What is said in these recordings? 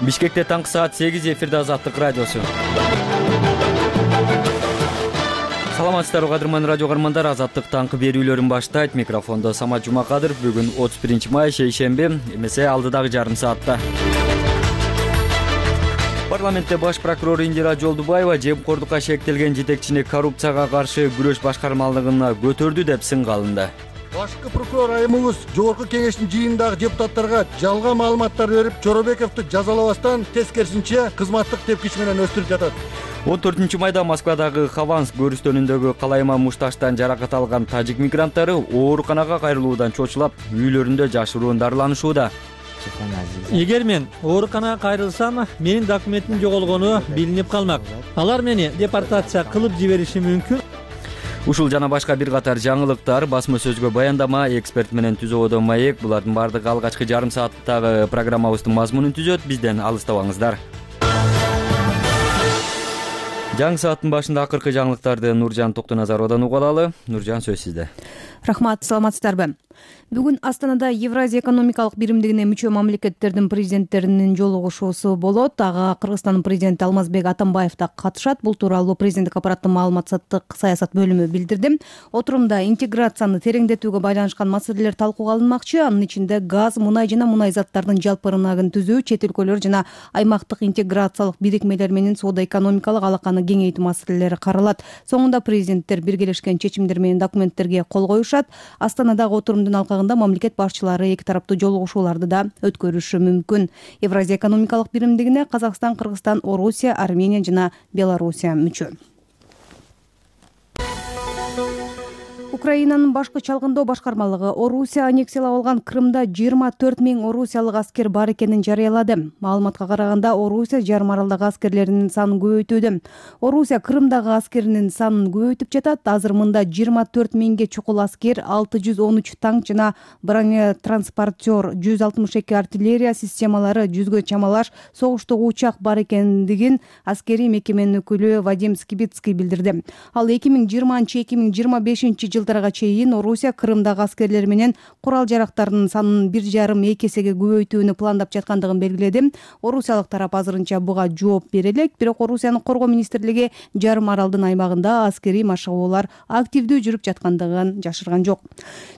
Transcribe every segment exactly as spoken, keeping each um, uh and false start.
Бишкекте таңкы саат сегиз, эфирде Азаттык радиосу. Саламатсыздарбы кадырман радио каармандар, Азаттык таңкы берүүлөрүн баштайт. Микрофондо Самат Жумакадыров. Бүгүн отуз биринчи май, шейшемби, эмесе алдыдагы жарым саатта. Парламентте баш прокурор Индира Жолдубаева жемкордукка шектелген жетекчини коррупцияга каршы күрөш башкармалыгына көтөрдү деп сынга алынды. Башкы прокурор айымыбыз жогорку кеңештин жыйынындагы депутаттарга жалган маалыматтар берип, Жоробековду жазалабастан тескерисинче кызматтык тепкич менен өстүрүп жатат. он төртүнчү майда Москвадагы Хованск көрүстөнүндөгү Калайма мушташтан жаракат алган тажик мигранттары ооруканага кайрылуудан чочулап, үйлөрүндө жашыруун дарыланышууда. Эгер мен ооруканага кайрылсам, менин документим жоголгону билинип калмак. Алар мени депортация кылып жибериши мүмкүн. Ушул жана башка бир катар жаңылыктар, басма сөзгө баяндама, эксперт менен түзөөдө маек, булардын баардыгы алгачкы жарым сааттагы программабыздын мазмунун түзөт. Бизден алыстабаңыздар. Жаңы сааттын башында акыркы жаңылыктарды Нуржан Токтоназаровдон угуп алалы. Нуржан, сөз сизде. Рахмат, саламатсыздарбы? Бүгүн Астанада Евразия экономикалык биримдигине мүчө мамлекеттердин президенттеринин жолугушуусу болот. Ага Кыргызстандын президенти Алмазбек Атамбаев да катышат. Бул тууралуу президенттик аппараттын маалыматтык саясат бөлүмү билдирди. Отурумда интеграцияны тереңдетүүгө байланышкан маселелер талкууга алынмакчы. Анын ичинде газ, мунай жана мунай заттардын жалпы рыногун түзүү, чет өлкөлөр жана аймактык интеграциялык бирикмелер менен соода-экономикалык алаканы кеңейтүү маселелери каралат. Соңунда президенттер биргелешкен чечимдер менен документтерге кол коюшат. Астанадагы отурумдун алкагында мамлекет башчылары эки тараптуу жолугушууларды да өткөрүшү мүмкүн. Евразия экономикалык биримдигине Казакстан, Кыргызстан, Орусия, Армения жана Белоруссия мүчө. Украинанын башкы чалгындоо башкармалыгы Орусия аннексиялап алган Крымда жыйырма төрт миң орусиялык аскер бар экенин жарыялады. Маалыматка караганда, Орусия жарым аралдагы аскерлеринин санын көбөйтүүдө. Орусия Крымдагы аскеринин санын көбөйтүп жатат. Азыр мында жыйырма төрт миңге чукул аскер, алты жүз он үч танк жана бронетранспортер, жүз алтымыш эки артиллерия системалары, жүзгө чамалаш согуштук учак бар экендигин аскерий мекеменин өкүлү Вадим Скибицкий билдирди. Ал эки миң жыйырманчы — эки миң жыйырма бешинчи жылдарга чейин Орусия Крымдагы аскерлер менен курал жарактардын санын бир жарым эки эсеге көбөйтүүнү пландап жаткандыгын белгиледи. Орусиялык тарап азырынча буга жооп бере элек, бирок Орусиянын коргоо министрлиги жарым аралдын аймагында аскерий машыгуулар активдүү жүрүп жаткандыгын жашырган жок.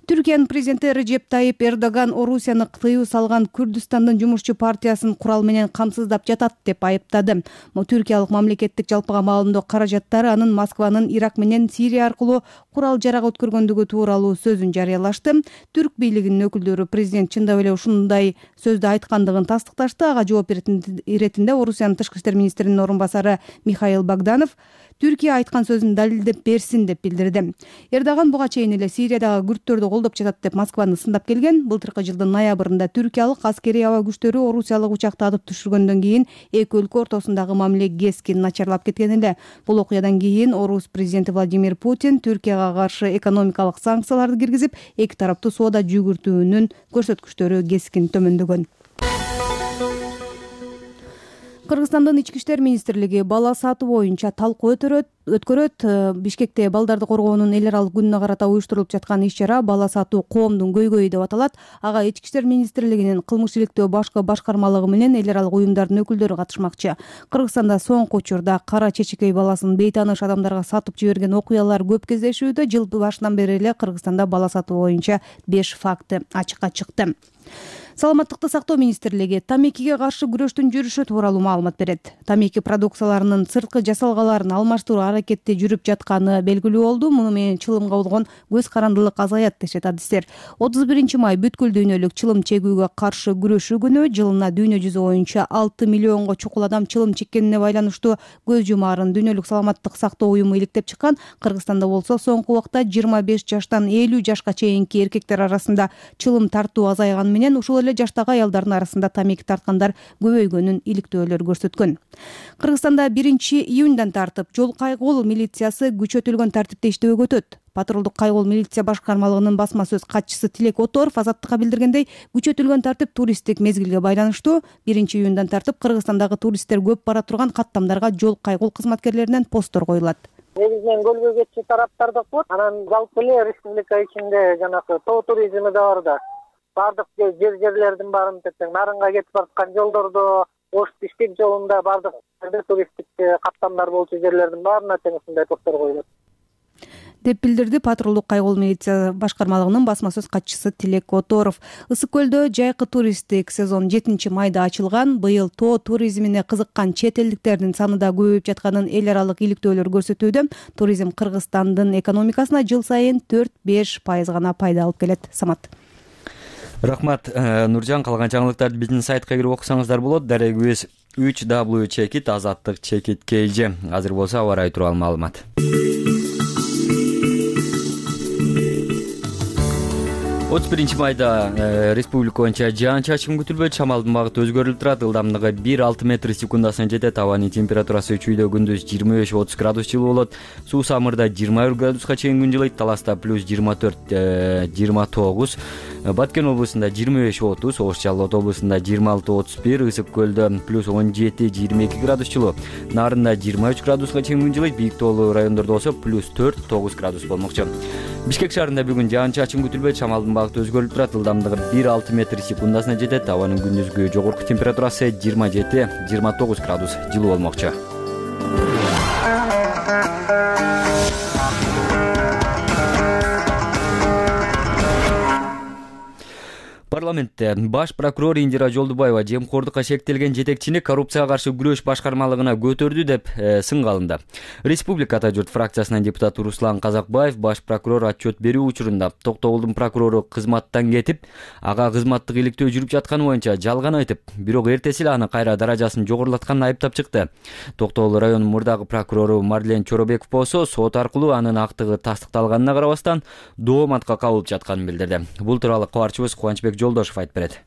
Түркиянын президенти Режеп Тайип Эрдоган Орусияны тыюу салган Күрдүстандын жумушчу партиясын курал менен камсыздап жатат деп айыптады. Түркиялык мамлекеттик жалпыга маалымдоо каражаттары анын Москванын Ирак менен Сирия аркылуу курал жарак өткөргөндүгү тууралуу сөзүн жарыялашты. Түрк бийлигинин өкүлдөрү президент чындап эле ушундай сөздү айткандыгын тастыкташты. Ага жооп иретинде Орусиянын тышкы иштер министринин орун басары Михаил Богданов Түркия айткан сөзүн далилдеп берсин деп билдирди. Эрдоган буга чейин эле Сириядагы күрттөрдү колдоп жатат деп Москваны сындап келген. Былтыркы жылдын ноябрында түркиялык аскерий аба күчтөрү орусиялык учакты атып түшүргөндөн кийин эки өлкө ортосундагы мамиле кескин начарлап кеткен эле. Бул окуядан кийин Орус президенти Владимир Путин Түркияга каршы экономикалык санкцияларды киргизип, эки тараптуу соода жүгүртүүнүн көрсөткүчтөрү кескин төмөндөгөн. Кыргызстандын ички иштер министрлиги бала сатуу боюнча талкуу өткөрөт. Бишкекте балдарды коргоонун эл аралык күнүнө карата уюштурулуп жаткан иш-чара бала сатуу коомдун көйгөйү деп аталат. Ага ички иштер министрлигинин кылмыш иликтөө башкы башкармалыгы менен эл аралык уюмдардын өкүлдөрү катышмакчы. Кыргызстанда соңку учурда кара чечекей баласын бейтааныш адамдарга сатып жиберген окуялар көп кездешүүдө. Жыл башынан бери эле Кыргызстанда бала сатуу боюнча беш факты ачыкка чыкты. Саламаттыкты сактоо министрлиги тамекиге каршы күрөштүн жүрүшү тууралуу маалымат берет. Тамеки продукцияларынын сырткы жасалгаларын алмаштыруу аракети жүрүп жатканы белгилүү болду. Муну менен чылымга болгон көз карандылык азаят дешет адистер. отуз биринчи май бүткүл дүйнөлүк чылым чегүүгө каршы күрөшүү күнү. Жылына дүйнө жүзү боюнча алты миллионго чукул адам чылым чеккенине байланыштуу көз жумаарын дүйнөлүк саламаттык сактоо уюму иликтеп чыккан. Кыргызстанда болсо соңку убакта жыйырма беш жаштан элүү жашка чейинки эркектер арасында чылым тартуу азайганы менен ушул эле жаштагы аялдардын арасында тамеки тарткандар көбөйгөнүн иликтөөлөр көрсөткөн. Кыргызстанда биринчи июндан тартып жол кайгыл милициясы күчөтүлгөн тартипте иштөөгө өтөт. Патрулдук кайгыл милиция башкармалыгынын басма сөз катчысы Тилек Оторов Азаттыкка билдиргендей, күчөтүлгөн тартип туристтик мезгилге байланыштуу. биринчи июндан тартып Кыргызстандагы туристтер көп бара турган каттамдарга жол кайгыл кызматкерлеринен посттор коюлат. Негизинен көлгө кетчү тараптар да көп. Анан жалпы эле республика ичинде жанагы тоо туризми да бар да. Бардык жер жерлердин баарын тең нарынга кетип бараткан жолдордо ош Бишкек жолунда бардык туристтик каттамдар болчу жерлердин баарына тең ушундай посттор коюлат деп билдирди патрулдук кайгылуу милиция башкармалыгынын басма сөз катчысы Тилек Которов. Ысык көлдө жайкы туристтик сезон жетинчи майда ачылган. Быйыл тоо туризмине кызыккан чет элдиктердин саны да көбөйүп жатканын эл аралык иликтөөлөр көрсөтүүдө. Туризм Кыргызстандын экономикасына жыл сайын төрт беш пайыз гана пайда алып келет. Самат. Рахмат, Нуржан. Калган жаңылыктарды биздин сайтка кирип окусаңыздар болот. Дарегибиз үч дабл ю чекит азаттык чекит kg. Азыр болсо аба ырайы тууралуу маалымат. отуз биринчи майда республика боюнча жаан-чачын күтүлбөйт. Шамалдын багыты өзгөрүлүп турат. Ылдамдыгы бир алты метр секундасына жетет. Абанын температурасы чүйдө күндүз жыйырма беш отуз градус жылуу болот. Суу самырда жыйырма бир градуска чейин күн жылыйт. Таласта плюс жыйырма төрт жыйырма тогуз. Баткен облусунда жыйырма беш отуз, Ош Жалал облусунда жыйырма алты отуз бир, Ысык көлдө плюс он жети жыйырма эки градус жылуу. Нарында жыйырма үч градуска чейин күн жылыйт. Бийик тоолуу райондордо болсо плюс төрт тогуз градус болмокчу. Бишкек шаарында бүгүн жаан-чачын күтүлбөйт. Шамалдын багыты өзгөрүлүп турат. Ылдамдыгы бир алты метр секундасына жетет. Абанын күндүзгү жогорку температурасы жыйырма жети жыйырма тогуз градус жылуу болмокчу. Парламентте баш прокурор Индира Жолдубаева жемкордукка шектелген жетекчини коррупцияга каршы күрөш башкармалыгына көтөрдү деп сынга алынды. Республика Ата журт фракциясынын депутаты Руслан Казакбаев баш прокурор отчет берүү учурунда Токтогулдун прокурору кызматтан кетип, ага кызматтык иликтөө жүрүп жатканы боюнча жалган айтып, бирок эртеси эле аны кайра даражасын жогорулатканын айыптап чыкты. Токтогул районунун мурдагы прокурору Марлен Чоробеков болсо сот аркылуу анын актыгы тастыкталганына карабастан дооматка кабылып жатканын билдирди. Бул тууралуу кабарчыбыз Кубанычбек Жолдошов айтып берет.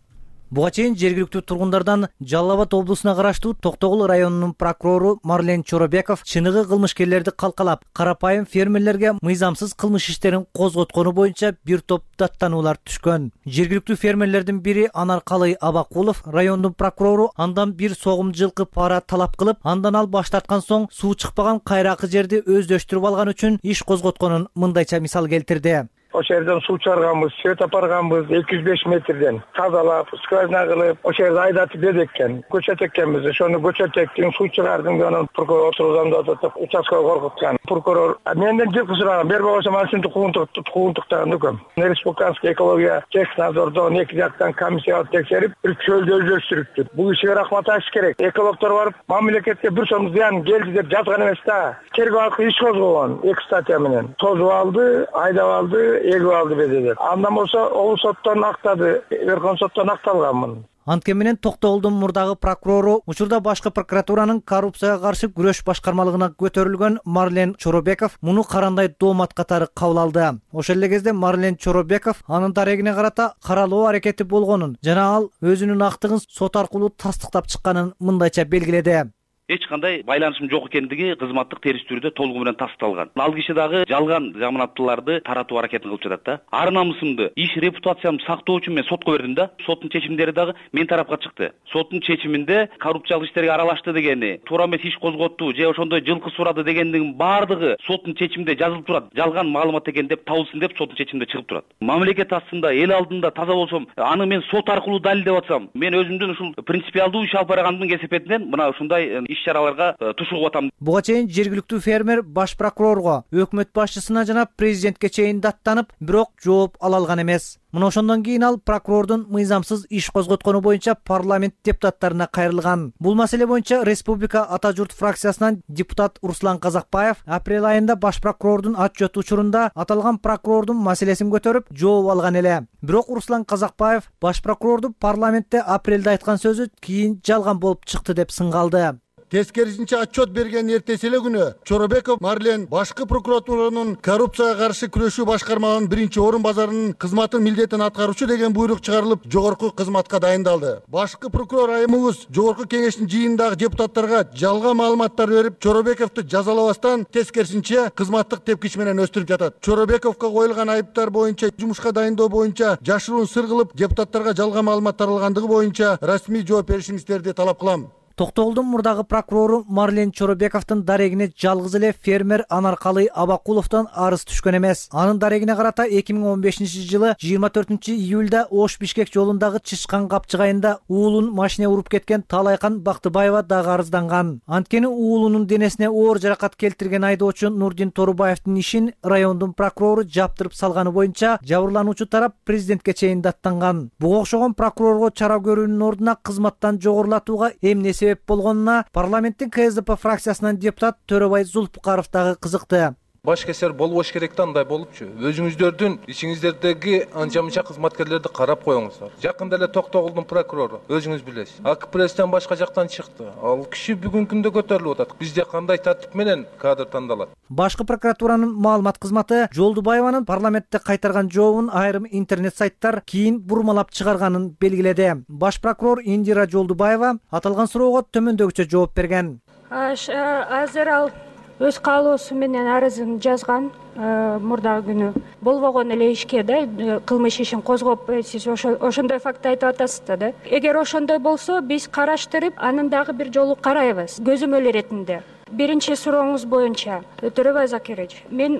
Буга чейин жергиликтүү тургундардан Жалал Абад облусуна караштуу Токтогул районунун прокурору Марлен Чоробеков чыныгы кылмышкерлерди калкалап, карапайым фермерлерге мыйзамсыз кылмыш иштерин козготкону боюнча бир топ даттануулар түшкөн. Жергиликтүү фермерлердин бири Анаркалый Абакулов райондун прокурору андан бир согум жылкы пара талап кылып, андан ал баш тарткан соң суу чыкпаган кайракы жерди өздөштүрүп алган үчүн иш козготконун мындайча мисал келтирди. Ошол жерден суу чыгарганбыз, свет апарганбыз, эки жүз беш метрден тазалап, скважина кылып, ошол жерде айдатып бердик экен. Көчөт экенбиз, ошону көчөт эктин, суу чыгардым деп анан прокурор отурган деп участкага коркуткан. Прокурор менден жылкы сураган, бербей койсом анан синтип куугунтуктаган экем. Республиканский экология технадзордон эки жактан комиссия текшерип, бир чөлдү өздөштүрүптүр. Бул ишке рахмат айтыш керек. Экологдор барып, мамлекетке бир сом зыян келди деп жазган эмес да. Тергөө аркылуу иш козгогон эки статья менен. Тозуп алды, айдап алды, эгип алды бедедер. Андан болсо Оңу соттон актады, Верховный соттон акталганмын. Анткени менен Токтогулдун мурдагы прокурору учурда башкы прокуратуранын коррупцияга каршы күрөш башкармалыгына көтөрүлгөн Марлен Чоробеков муну карандай доомат катары кабыл алды. Ошол эле кезде Марлен Чоробеков анын дарегине карата каралоо аракети болгонун жана ал өзүнүн актыгын сот аркылуу тастыктап чыкканын мындайча белгиледи. Эч кандай байланышым жок экендиги кызматтык терс түрдө толугу менен тастыкталган. Ал киши дагы жалган жаманаттууларды таратуу аракетин кылып жатат да. Ар намысымды, иш репутациямды сактоо үчүн мен сотко бердим да. Соттун чечимдери дагы мен тарапка чыкты. Соттун чечиминде коррупциялык иштерге аралашты дегени, туура эмес иш козготту же ошондой жылкы сурады дегендин баардыгы соттун чечиминде жазылып турат. Жалган маалымат экен деп табылсын деп соттун чечиминде чыгып турат. Мамлекет астында, эл алдында таза болсом, аны мен сот аркылуу далилдеп атсам, мен өзүмдүн ушул принципиалдуу иш алып баргандын кесепетинен мына ушундай иш-чараларга тушугуп атам. Буга чейин жергиликтүү фермер баш прокурорго, өкмөт башчысына жана президентке чейин даттанып, бирок жооп ала алган эмес. Мына ошондон кийин ал прокурордун мыйзамсыз иш козготкону боюнча парламент депутаттарына кайрылган. Бул маселе боюнча Республика Ата журт фракциясынан депутат Руслан Казакбаев апрель айында баш прокурордун отчет учурунда аталган прокурордун маселесин көтөрүп жооп алган эле. Бирок Руслан Казакбаев баш прокурорду парламентте апрелде айткан сөзү кийин жалган болуп чыкты деп сынга алды. Тескерисинче отчет берген эртеси эле күнү Чоробеков Марлен башкы прокуратуранын коррупцияга каршы күрөшүү башкармалыгынын биринчи орун базарынын кызматын милдетин аткаруучу деген буйрук чыгарылып, жогорку кызматка дайындалды. Башкы прокурор айымыбыз жогорку кеңештин жыйынындагы депутаттарга жалган маалыматтар берип, Чоробековду жазалабастан тескерисинче кызматтык тепкич менен өстүрүп жатат. Чоробековго коюлган айыптар боюнча жумушка дайындоо боюнча жашыруун сыр кылып, депутаттарга жалган маалымат таралгандыгы боюнча расмий жооп беришиңиздерди талап кылам. Токтогулдун мурдагы прокурору Марлен Чоробековдун дарегине жалгыз эле фермер Анаркалый Абакуловдон арыз түшкөн эмес. Анын дарегине карата эки миң он бешинчи жылы жыйырма төртүнчү июлда Ош Бишкек жолундагы Чычкан капчыгайында уулун машине уруп кеткен Талайкан Бактыбаева дагы арызданган. Анткени уулунун денесине оор жаракат келтирген айдоочу Нурдин Торубаевдин ишин райондун прокурору жаптырып салганы боюнча жабырлануучу тарап президентке чейин даттанган. Буга окшогон прокурорго чара көрүүнүн ордуна кызматтан жогорулатууга эмне себеп болгонуна парламенттин К С Д П фракциясынан депутат Төрөбай Зулпукаров дагы кызыкты. Баш кесер болбош керек да андай болупчу. Өзүңүздөрдүн ичиңиздердеги анча мынча кызматкерлерди карап коюңуздар. Жакында эле Токтогулдун прокурору өзүңүз билесиз. А К Пресстен башка жактан чыкты. Ал киши бүгүнкү күндө көтөрүлүп атат. Бизде кандай тартип менен кадр тандалат? Башкы прокуратуранын маалымат кызматы Жолдубаеванын парламентте кайтарган жообун айрым интернет сайттар кийин бурмалап чыгарганын белгиледи. Баш прокурор Индира Жолдубаева аталган суроого төмөндөгүчө жооп берген. Азыр ал өз каалоосу менен арызын жазган мурдагы күнү. Болбогон эле ишке да кылмыш ишин козгоп, сиз ошондой факт айтып атасыз да. Эгер ошондой болсо, биз караштырып, анын дагы бир жолу карайбыз, көзөмөл иретинде. Биринчи сурооңуз боюнча, Төрөбай Закирович, мен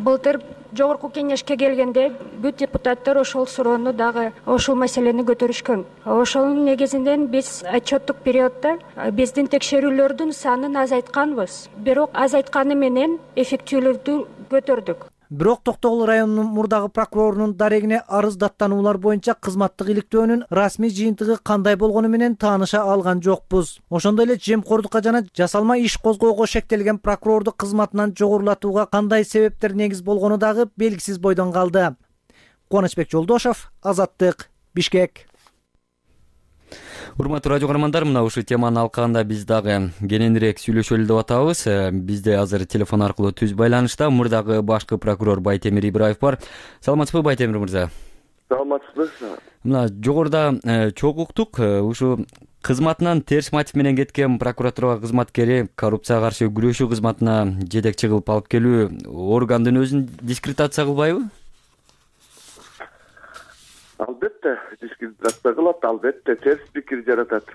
былтыр жогорку кеңешке келгенде бүт депутаттар ошол суроону дагы ошол маселени көтөрүшкөн. Ошонун негизинен биз отчеттук периоддо биздин текшерүүлөрдүн санын азайтканбыз. Бирок азайтканы менен эффектүүлүктү көтөрдүк. Бирок Токтогул районунун мурдагы прокурорунун дарегине арыз даттануулар боюнча кызматтык иликтөөнүн расмий жыйынтыгы кандай болгону менен тааныша алган жокпуз. Ошондой эле жемкордукка жана жасалма иш козгоого шектелген прокурорду кызматынан жогорулатууга кандай себептер негиз болгону дагы белгисиз бойдон калды. Кубанычбек Жолдошов, Азаттык, Бишкек. Урматтуу радио көрөрмандар, мына ушул теманын алкагында биз дагы кененирээк сүйлөшөлү деп атабыз. Бизде азыр телефон аркылуу түз байланышта мурдагы башкы прокурор Байтемир Ибраев бар. Саламатсызбы, Байтемир мырза? Саламатсызбы. Мына жогоруда чогуу уктук, ушу кызматынан терс мотив менен кеткен прокуратура кызматкери коррупцияга каршы күрөшүү кызматына жетекчи кылып алып келүү органдын өзүн дискредитация кылбайбы? Албетте дискредитация кылат, албетте терс пикир жаратат.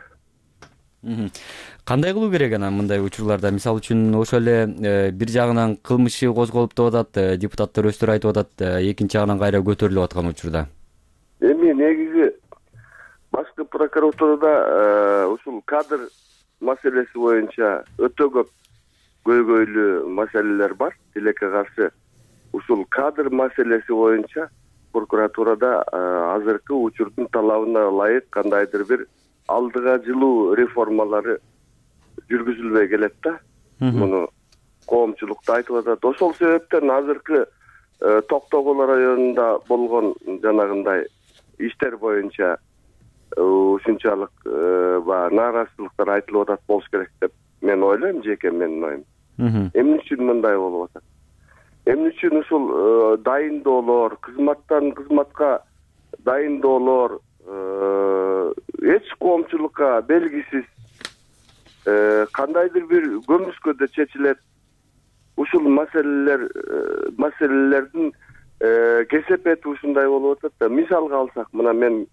Кандай кылуу керек анан мындай учурларда? Мисалы үчүн ошол эле бир жагынан кылмышы козголуп деп атат, депутаттар өздөрү айтып атат, экинчи жагынан кайра көтөрүлүп аткан учурда. Эми негизи башкы прокуратурада ушул кадр маселеси боюнча өтө көп көйгөйлүү маселелер бар. Тилекке каршы ушул кадр маселеси боюнча прокуратурада азыркы учурдун талабына ылайык кандайдыр бир алдыга жылуу реформалары жүргүзүлбөй келет да. Муну коомчулук да айтып атат. Ошол себептен азыркы Токтогул районунда болгон жанагындай иштер боюнча ушунчалык баягы нааразычылыктар айтылып атат болуш керек деп мен ойлойм, жеке менин оюм. Эмне үчүн мындай болуп атат? Эмне үчүн ушул дайындоолор, кызматтан кызматка дайындоолор эч коомчулукка белгисиз кандайдыр бир көмүскөдө чечилет. Ушул маселелер маселелердин кесепети ушундай болуп атат да. Мисалга алсак, мына мен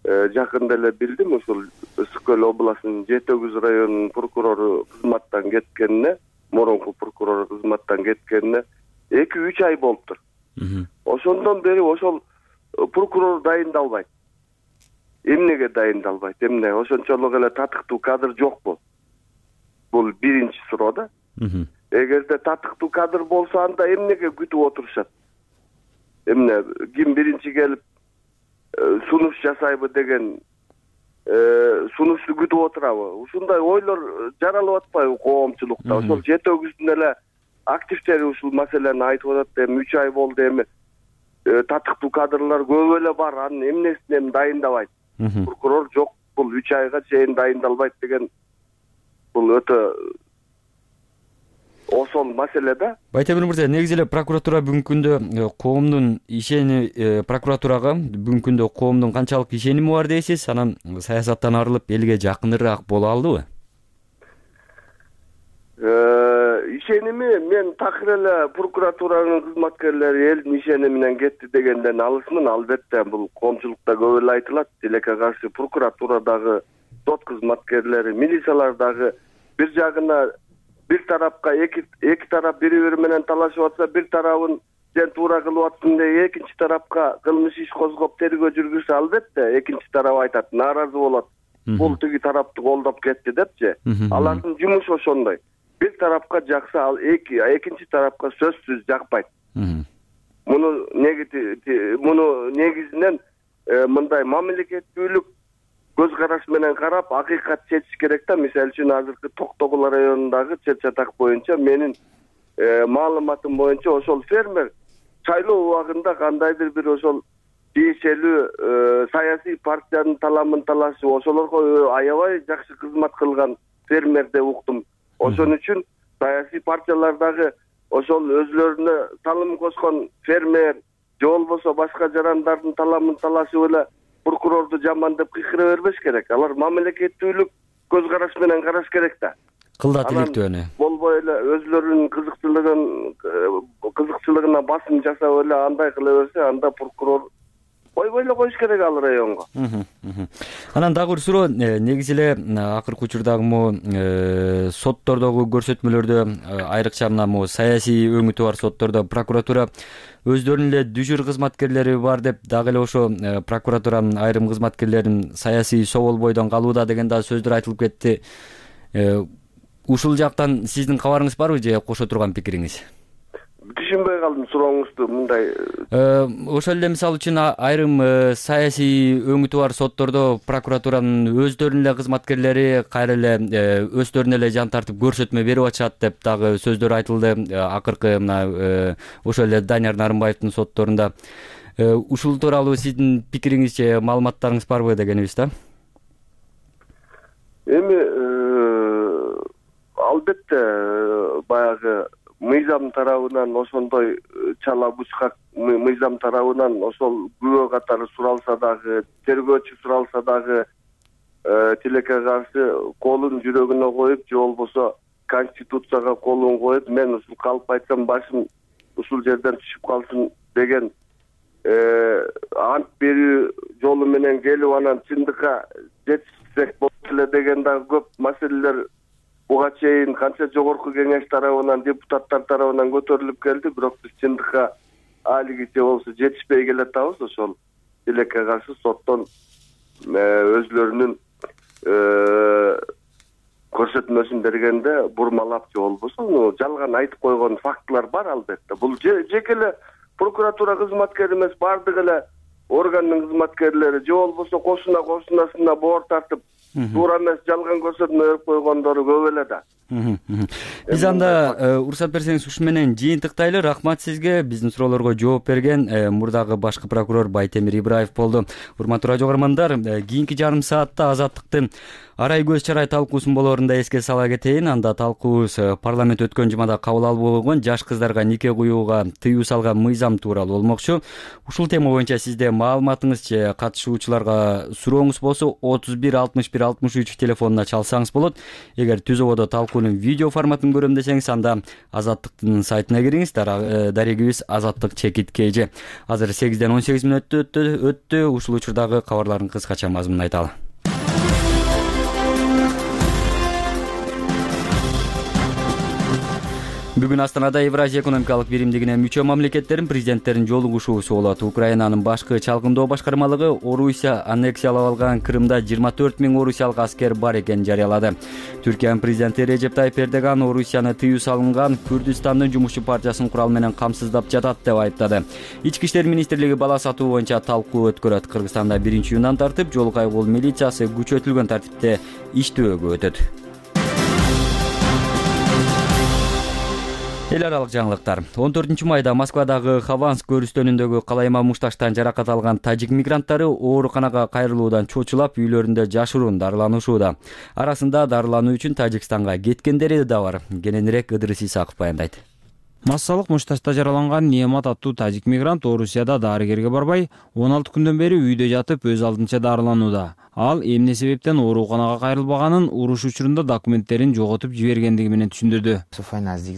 жакында эле билдим, ушул Ысык Көл областынын Жети Өгүз районунун прокурору кызматтан кеткенине, мурунку прокурор кызматтан кеткенине эки үч ай болуптур. Ошондон бери ошол прокурор дайындалбайт. Эмнеге дайындалбайт? Эмне? Ошончолук эле татыктуу кадр жокпу? Бул биринчи суроо да. Эгерде татыктуу кадр болсо, анда эмнеге күтүп отурушат? Эмне, ким биринчи келип сунуш жасайбы деген сунушту күтүп отурабы? Ушундай ойлор жаралып атпайбы коомчулукта? Ошол Жети Өгүздүн эле активдери ушул маселени айтып атат. Эми үч ай болду, эми татыктуу кадрлар көп эле бар, анын эмнесин эми дайындабайт? Прокурор жок, бул үч айга чейин дайындалбайт деген бул өтө осол маселе да. Байтемир мырза, негизи эле прокуратура бүгүнкү күндө коомдун ишени прокуратурага бүгүнкү күндө коомдун канчалык ишеними бар дейсиз? Анан саясаттан арылып элге жакыныраак боло алдыбы? Ишеними мен такыр эле прокуратуранын кызматкерлери элдин ишени менен кетти дегенден алысмын. Албетте бул коомчулукта көп эле айтылат. Тилекке каршы прокуратурадагы сот кызматкерлери, милициялар дагы бир жагына бир тарапка эки эки тарап бири бири менен талашып атса, бир тарабын сен туура кылып атсың деп экинчи тарапка кылмыш иш козгоп тергөө жүргүзсө, албетте экинчи тарап айтат, нааразы болот. Бул тиги тарапты колдоп кетти депчи. Алардын жумушу ошондой. Бир тарапка жакса, ал эки экинчи тарапка сөзсүз жакпайт. Муну негити муну негизинен мындай мамлекеттүүлүк көз караш менен карап, акыйкат чечиш керек да. Мисалы үчүн азыркы Токтогул районундагы чет чатак боюнча менин маалыматым боюнча ошол фермер шайлоо убагында кандайдыр бир ошол тиешелүү саясий партиянын таламын талашып, ошолорго аябай жакшы кызмат кылган фермер деп уктум. Ошон үчүн саясий партиялардагы ошол өзлөрүнө салым кошкон фермер же болбосо башка жарандардын таламын талашып эле прокурорду жаман деп кыйкыра бербеш керек. Алар мамлекеттүүлүк көз караш менен караш керек да. Кылдат иликтөөнү. Болбой эле өзлөрүнүн кызыкчылыгын кызыкчылыгына басым жасап эле андай кыла берсе, анда прокурор койбой эле коюш керек ал районго. Анан дагы бир суроо, негизи эле акыркы учурдагы могу соттордогу көрсөтмөлөрдө, айрыкча мына могу саясий өңүтү бар соттордо прокуратура өздөрүнүн эле дүжүр кызматкерлери бар деп, дагы эле ошо прокуратуранын айрым кызматкерлерин саясий собол бойдон калууда деген да сөздөр айтылып кетти. Ушул жактан сиздин кабарыңыз барбы же кошо турган пикириңиз? Түшүнбөй калдым сурооңузду. Мындай ошол эле мисалы үчүн айрым саясий өңүтү бар соттордо прокуратуранын өздөрүнүн эле кызматкерлери кайра эле өздөрүнө эле жан тартып көрсөтмө берип атышат деп дагы сөздөр айтылды. Акыркы мына ошол эле Данияр Нарымбаевдин сотторунда. Ушул тууралуу сиздин пикириңиз же маалыматтарыңыз барбы дегенибиз да? Эми албетте баягы мыйзам тарабынан ошондой чала бучкак мыйзам тарабынан ошол күбө катары суралса дагы, тергөөчү суралса дагы тилекке каршы колун жүрөгүнө коюп же болбосо конституцияга колун коюп, мен ушул калп айтсам башым ушул жерден түшүп калсын деген ант берүү жолу менен келип анан чындыкка жетишсек болот эле деген дагы көп маселелер буга чейин канча жогорку кеңеш тарабынан, депутаттар тарабынан көтөрүлүп келди, бирок биз чындыкка алигиче болсо жетишпей келатабыз. Ошол тилекке каршы соттон өзлөрүнүн көрсөтмөсүн бергенде бурмалап же болбосо жалган айтып койгон фактылар бар албетте. Бул жеке эле прокуратура кызматкери эмес, бардык эле органдын кызматкерлери же болбосо кошуна кошунасына боор тартып туура эмес жалган көрсөтмө берип койгондору көп эле да. Биз анда уруксат берсеңиз ушу менен жыйынтыктайлы. Рахмат сизге. Биздин суроолорго жооп берген мурдагы башкы прокурор Байтемир Ибраев болду. Урматтуу радио көрөрмандар, кийинки жарым саатта Азаттыктын арай көз чарай талкуусун болоорунда эске сала кетейин. Анда талкуубуз парламент өткөн жумада кабыл алып койгон жаш кыздарга нике куюуга тыюу салган мыйзам тууралуу болмокчу. Ушул тема боюнча сизде маалыматыңыз же катышуучуларга сурооңуз болсо отуз бир алтымыш бир алтымыш үч телефонуна чалсаңыз болот. Эгер түз ободо талкуунун видео форматын көрөм десеңиз, анда Азаттыктын сайтына кириңиз. Дарегибиз Азаттык чекит kg. Азыр сегизден он сегиз мүнөт өттү. Ушул учурдагы кабарлардын кыскача мазмунун айталы. Бүгүн Астанада Евразия экономикалык биримдигине мүчө мамлекеттердин президенттеринин жолугушуусу болот. Украинанын башкы чалкындоо башкармалыгы Орусия аннексиялап алган Крымда жыйырма төрт миң орусиялык аскер бар экенин жарыялады. Түркиянын президенти Режеп Тайып Эрдоган Орусияны тыюу салынган Күрдистандын жумушчу партиясын курал менен камсыздап жатат деп айыптады. Ички иштер министрлиги бала сатуу боюнча талкуу өткөрөт. Кыргызстанда биринчи июндан тартып жол кайгыл милициясы күчөтүлгөн тартипте иштөөгө өтөт. Эл аралык жаңылыктар. он төртүнчү майда Москвадагы Хованск көрүстөнүндөгү калайма мушташтан жаракат алган тажик мигранттары ооруканага кайрылуудан чочулап, үйлөрүндө жашыруун дарыланышууда. Арасында дарылануу үчүн Тажикстанга кеткендери да бар. Кененирээк Ыдырыс Исаков баяндайт. Массалык мушташта жараланган Неамат аттуу тажик мигрант Орусияда дарыгерге барбай, он алты күндөн бери үйдө жатып өз алдынча дарыланууда. Ал эмне себептен ооруканага кайрылбаганын, уруш учурунда документтерин жоготуп жибергендиги менен түшүндүрдү.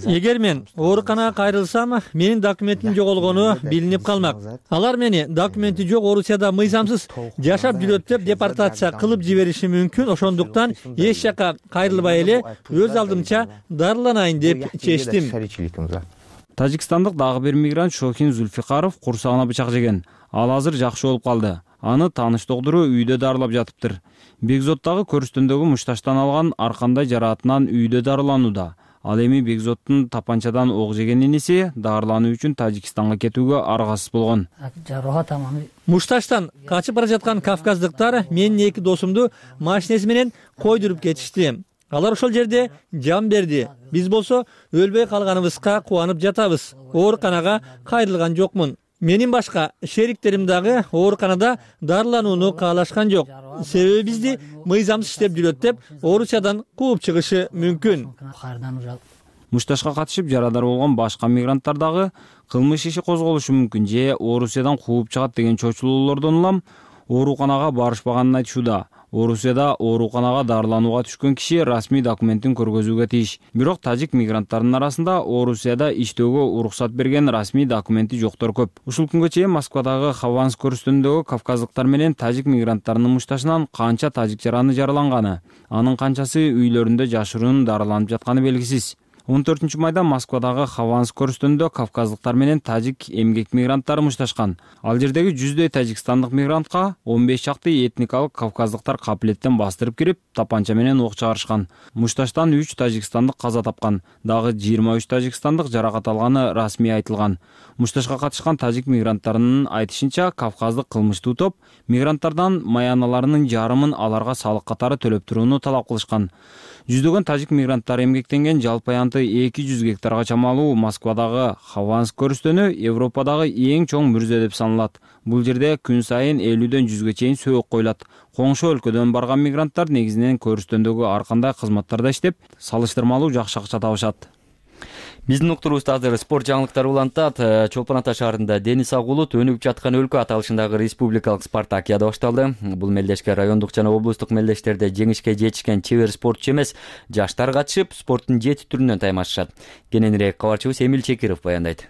Эгер мен ооруканага кайрылсам, менин документим жоголгону билинип калмак. Алар мени документи жок Орусияда мыйзамсыз жашап жүрөт деп депортация кылып жибериши мүмкүн. Ошондуктан эч жака кайрылбай эле өз алдымча дарыланайын деп чечтим. Тажикстандык дагы бир мигрант Шохин Зульфикаров курсагына бычак жеген. Ал азыр жакшы болуп калды. Аны тааныш доктору үйдө дарылап жатыптыр. Бекзоттагы көрүстөндөгү мушташтан алган аркандай жараатынан үйдө дарыланууда. Ал эми Бекзоттун тапанчадан ок жеген иниси дарылануу үчүн Тажикстанга кетүүгө аргасыз болгон. Мушташтан качып бара жаткан кавказдыктар менин эки досумду машинеси менен койдуруп кетишти. Алар ошол жерде жан берди. Биз болсо өлбөй калганыбызга кубанып жатабыз. Ооруканага кайрылган жокмун. Менин башка шериктерим дагы ооруканада дарыланууну каалашкан жок. Себеби бизди мыйзамсыз иштеп жүрөт деп Орусиядан кууп чыгышы мүмкүн. Мушташка катышып жарадар болгон башка мигранттар дагы кылмыш иши козголушу мүмкүн же Орусиядан кууп чыгат деген чочулуулордон улам ооруканага барышпаганын айтышууда. Орусияда ооруканага дарыланууга түшкөн киши расмий документин көргөзүүгө тийиш. Бирок тажик мигранттарынын арасында Орусияда иштөөгө уруксат берген расмий документи жоктор көп. Ушул күнгө чейин Москвадагы Хованск көрүстөнүндөгү кавказдыктар менен тажик мигранттарынын мушташынан канча тажик жараны жараланганы, анын канчасы үйлөрүндө жашыруун дарыланып жатканы белгисиз. он төртүнчү майда Москвадагы Хованск көрүстөнүндө кавказдыктар менен тажик эмгек мигранттары мушташкан. Ал жердеги жүздөй тажикстандык мигрантка он беш чакты этникалык кавказдыктар капилеттен бастырып кирип, тапанча менен ок чыгарышкан. Мушташтан үч тажикстандык каза тапкан, дагы жыйырма үч тажикстандык жаракат алганы расмий айтылган. Мушташка катышкан тажик мигранттарынын айтышынча, кавказдык кылмыштуу топ мигранттардан маяналарынын жарымын аларга салык катары төлөп турууну талап кылышкан. Жүздөгөн тажик мигранттары эмгектенген жалпы аянты эки жүз гектарга чамалуу Москвадагы Хованск көрүстөнү Европадагы эң чоң мүрзө деп саналат. Бул жерде күн сайын элүүдөн жүзгө чейин сөөк коюлат. Коңшу өлкөдөн барган мигранттар негизинен көрүстөндөгү ар кандай кызматтарда иштеп, салыштырмалуу жакшы акча табышат. Биздин уктуруубузда азыр спорт жаңылыктары улантат. Чолпон Ата шаарында Дениз Агулут өнүгүп жаткан өлкө аталышындагы республикалык спартакиада башталды. Бул мелдешке райондук жана облустук мелдештерде жеңишке жетишкен чебер спортчу эмес, жаштар катышып, спорттун жети түрүнөн таймашышат. Кененирээк кабарчыбыз Эмил Чекиров баяндайт.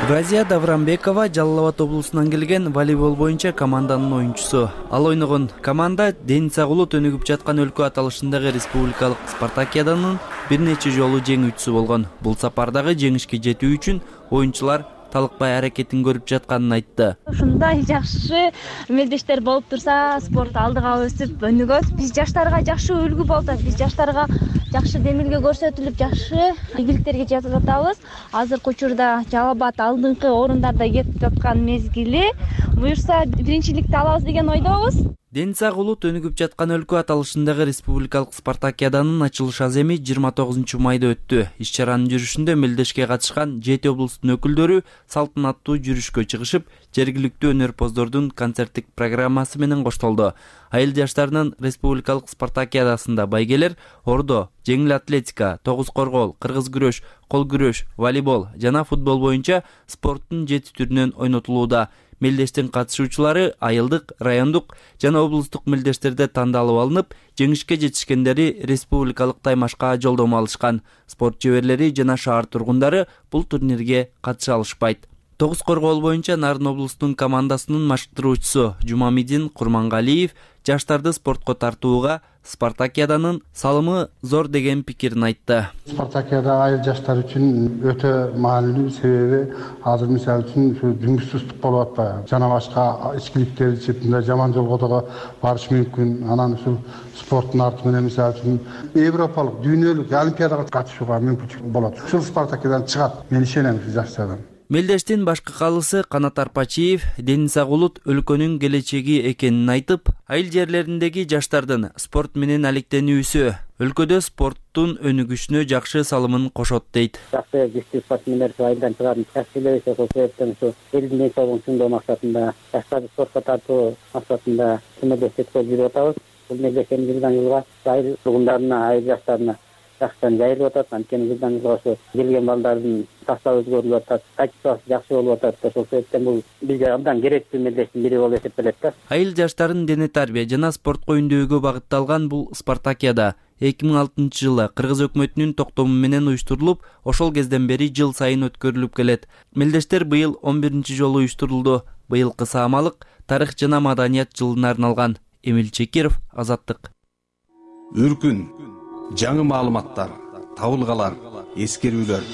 Газия Даврамбекова Жалал Абад облусунан келген волейбол боюнча команданын оюнчусу. Ал ойногон команда Дениз Агулут өнүгүп жаткан өлкө аталышындагы республикалык спартакиаданын бир нече жолу жеңүүчүсү болгон. Бул сапардагы жеңишке жетүү үчүн оюнчулар талыкпай аракетин көрүп жатканын айтты. Ушундай жакшы мелдештер болуп турса, спорт алдыга өсүп өнүгөт. Биз жаштарга жакшы үлгү болуп атат. Биз жаштарга жакшы демилге көрсөтүлүп, жакшы ийгиликтерге жетип атабыз. Азыркы учурда Жалал Абад алдыңкы орундарда кетип жаткан мезгили. Буюрса биринчиликти алабыз деген ойдобуз. Дениз Агулут өнүгүп жаткан өлкө аталышындагы республикалык спартакиаданын ачылыш аземи жыйырма тогузунчу майда өттү. Иш-чаранын жүрүшүндө мелдешке катышкан жети облустун өкүлдөрү салтанаттуу жүрүшкө чыгышып, жергиликтүү өнөрпоздордун концерттик программасы менен коштолду. Айыл жаштарынын республикалык спартакиадасында байгелер ордо, жеңил атлетика, тогуз коргоол, кыргыз күрөш, кол күрөш, волейбол жана футбол боюнча спорттун жети түрүнөн ойнотулууда. Мелдештин катышуучулары айылдык, райондук жана облустук мелдештерде тандалып алынып, жеңишке жетишкендери республикалык таймашка жолдомо алышкан. Спорт чеберлери жана шаар тургундары бул турнирге катыша алышпайт. Тогуз коргоол боюнча Нарын облустунун командасынын машыктыруучусу Жумамидин Курмангалиев жаштарды спортко тартууга спартакиаданын салымы зор деген пикирин айтты. Спартакиада айыл жаштар үчүн өтө маанилүү, себеби азыр мисалы үчүн жұмыссыздык болуп атпайбы, жана башка ичкиликтер ичип, жаман жолго да барыш мүмкүн. Анан ушул спорттун арты менен мисалы үчүн европалык, дүйнөлүк олимпиадага катышууга мүмкүнчүлүк болот. Ушул спартакиадан чыгат, мен ишенем жаштардан. Мелдештин башкы калысы Канат Арпачиев Дениз Агулут өлкөнүн келечеги экенин айтып, айыл жерлериндеги жаштардын спорт менен алектенүүсү өлкөдө спорттун өнүгүшүнө жакшы салымын кошот дейт. Жакшы күчтүү спортсмендер айылдан чыгарып, жакшы ошол себептен ушу элдин ден соолугун чыңдоо максатында, жаштарды спортко тартуу максатында мелдештик жүрүп атабыз. Бул мелдештин жылдан жылга айыл тургундарына, айыл жаштарына жакшыдан жайылып атат. Анткени жылдан-жылга ошо келген балдардын состабы өзгөрүлүп атат, качествосы жакшы болуп атат. Ошол себептен бул бизге абдан керектүү мелдештин бири болуп эсептелет да. Айыл жаштарын дене тарбия жана спортко үндөөгө багытталган бул спартакиада эки миң алтынчы жылы Кыргыз өкмөтүнүн токтому менен уюштурулуп, ошол кезден бери жыл сайын өткөрүлүп келет. Мелдештер быйыл он биринчи жолу уюштурулду. Быйылкы саамалык тарых жана маданият жылына арналган. Эмил Чекиров, Азаттык. Үркүн, жаңы маалыматтар, табылгалар, эскерүүлөр.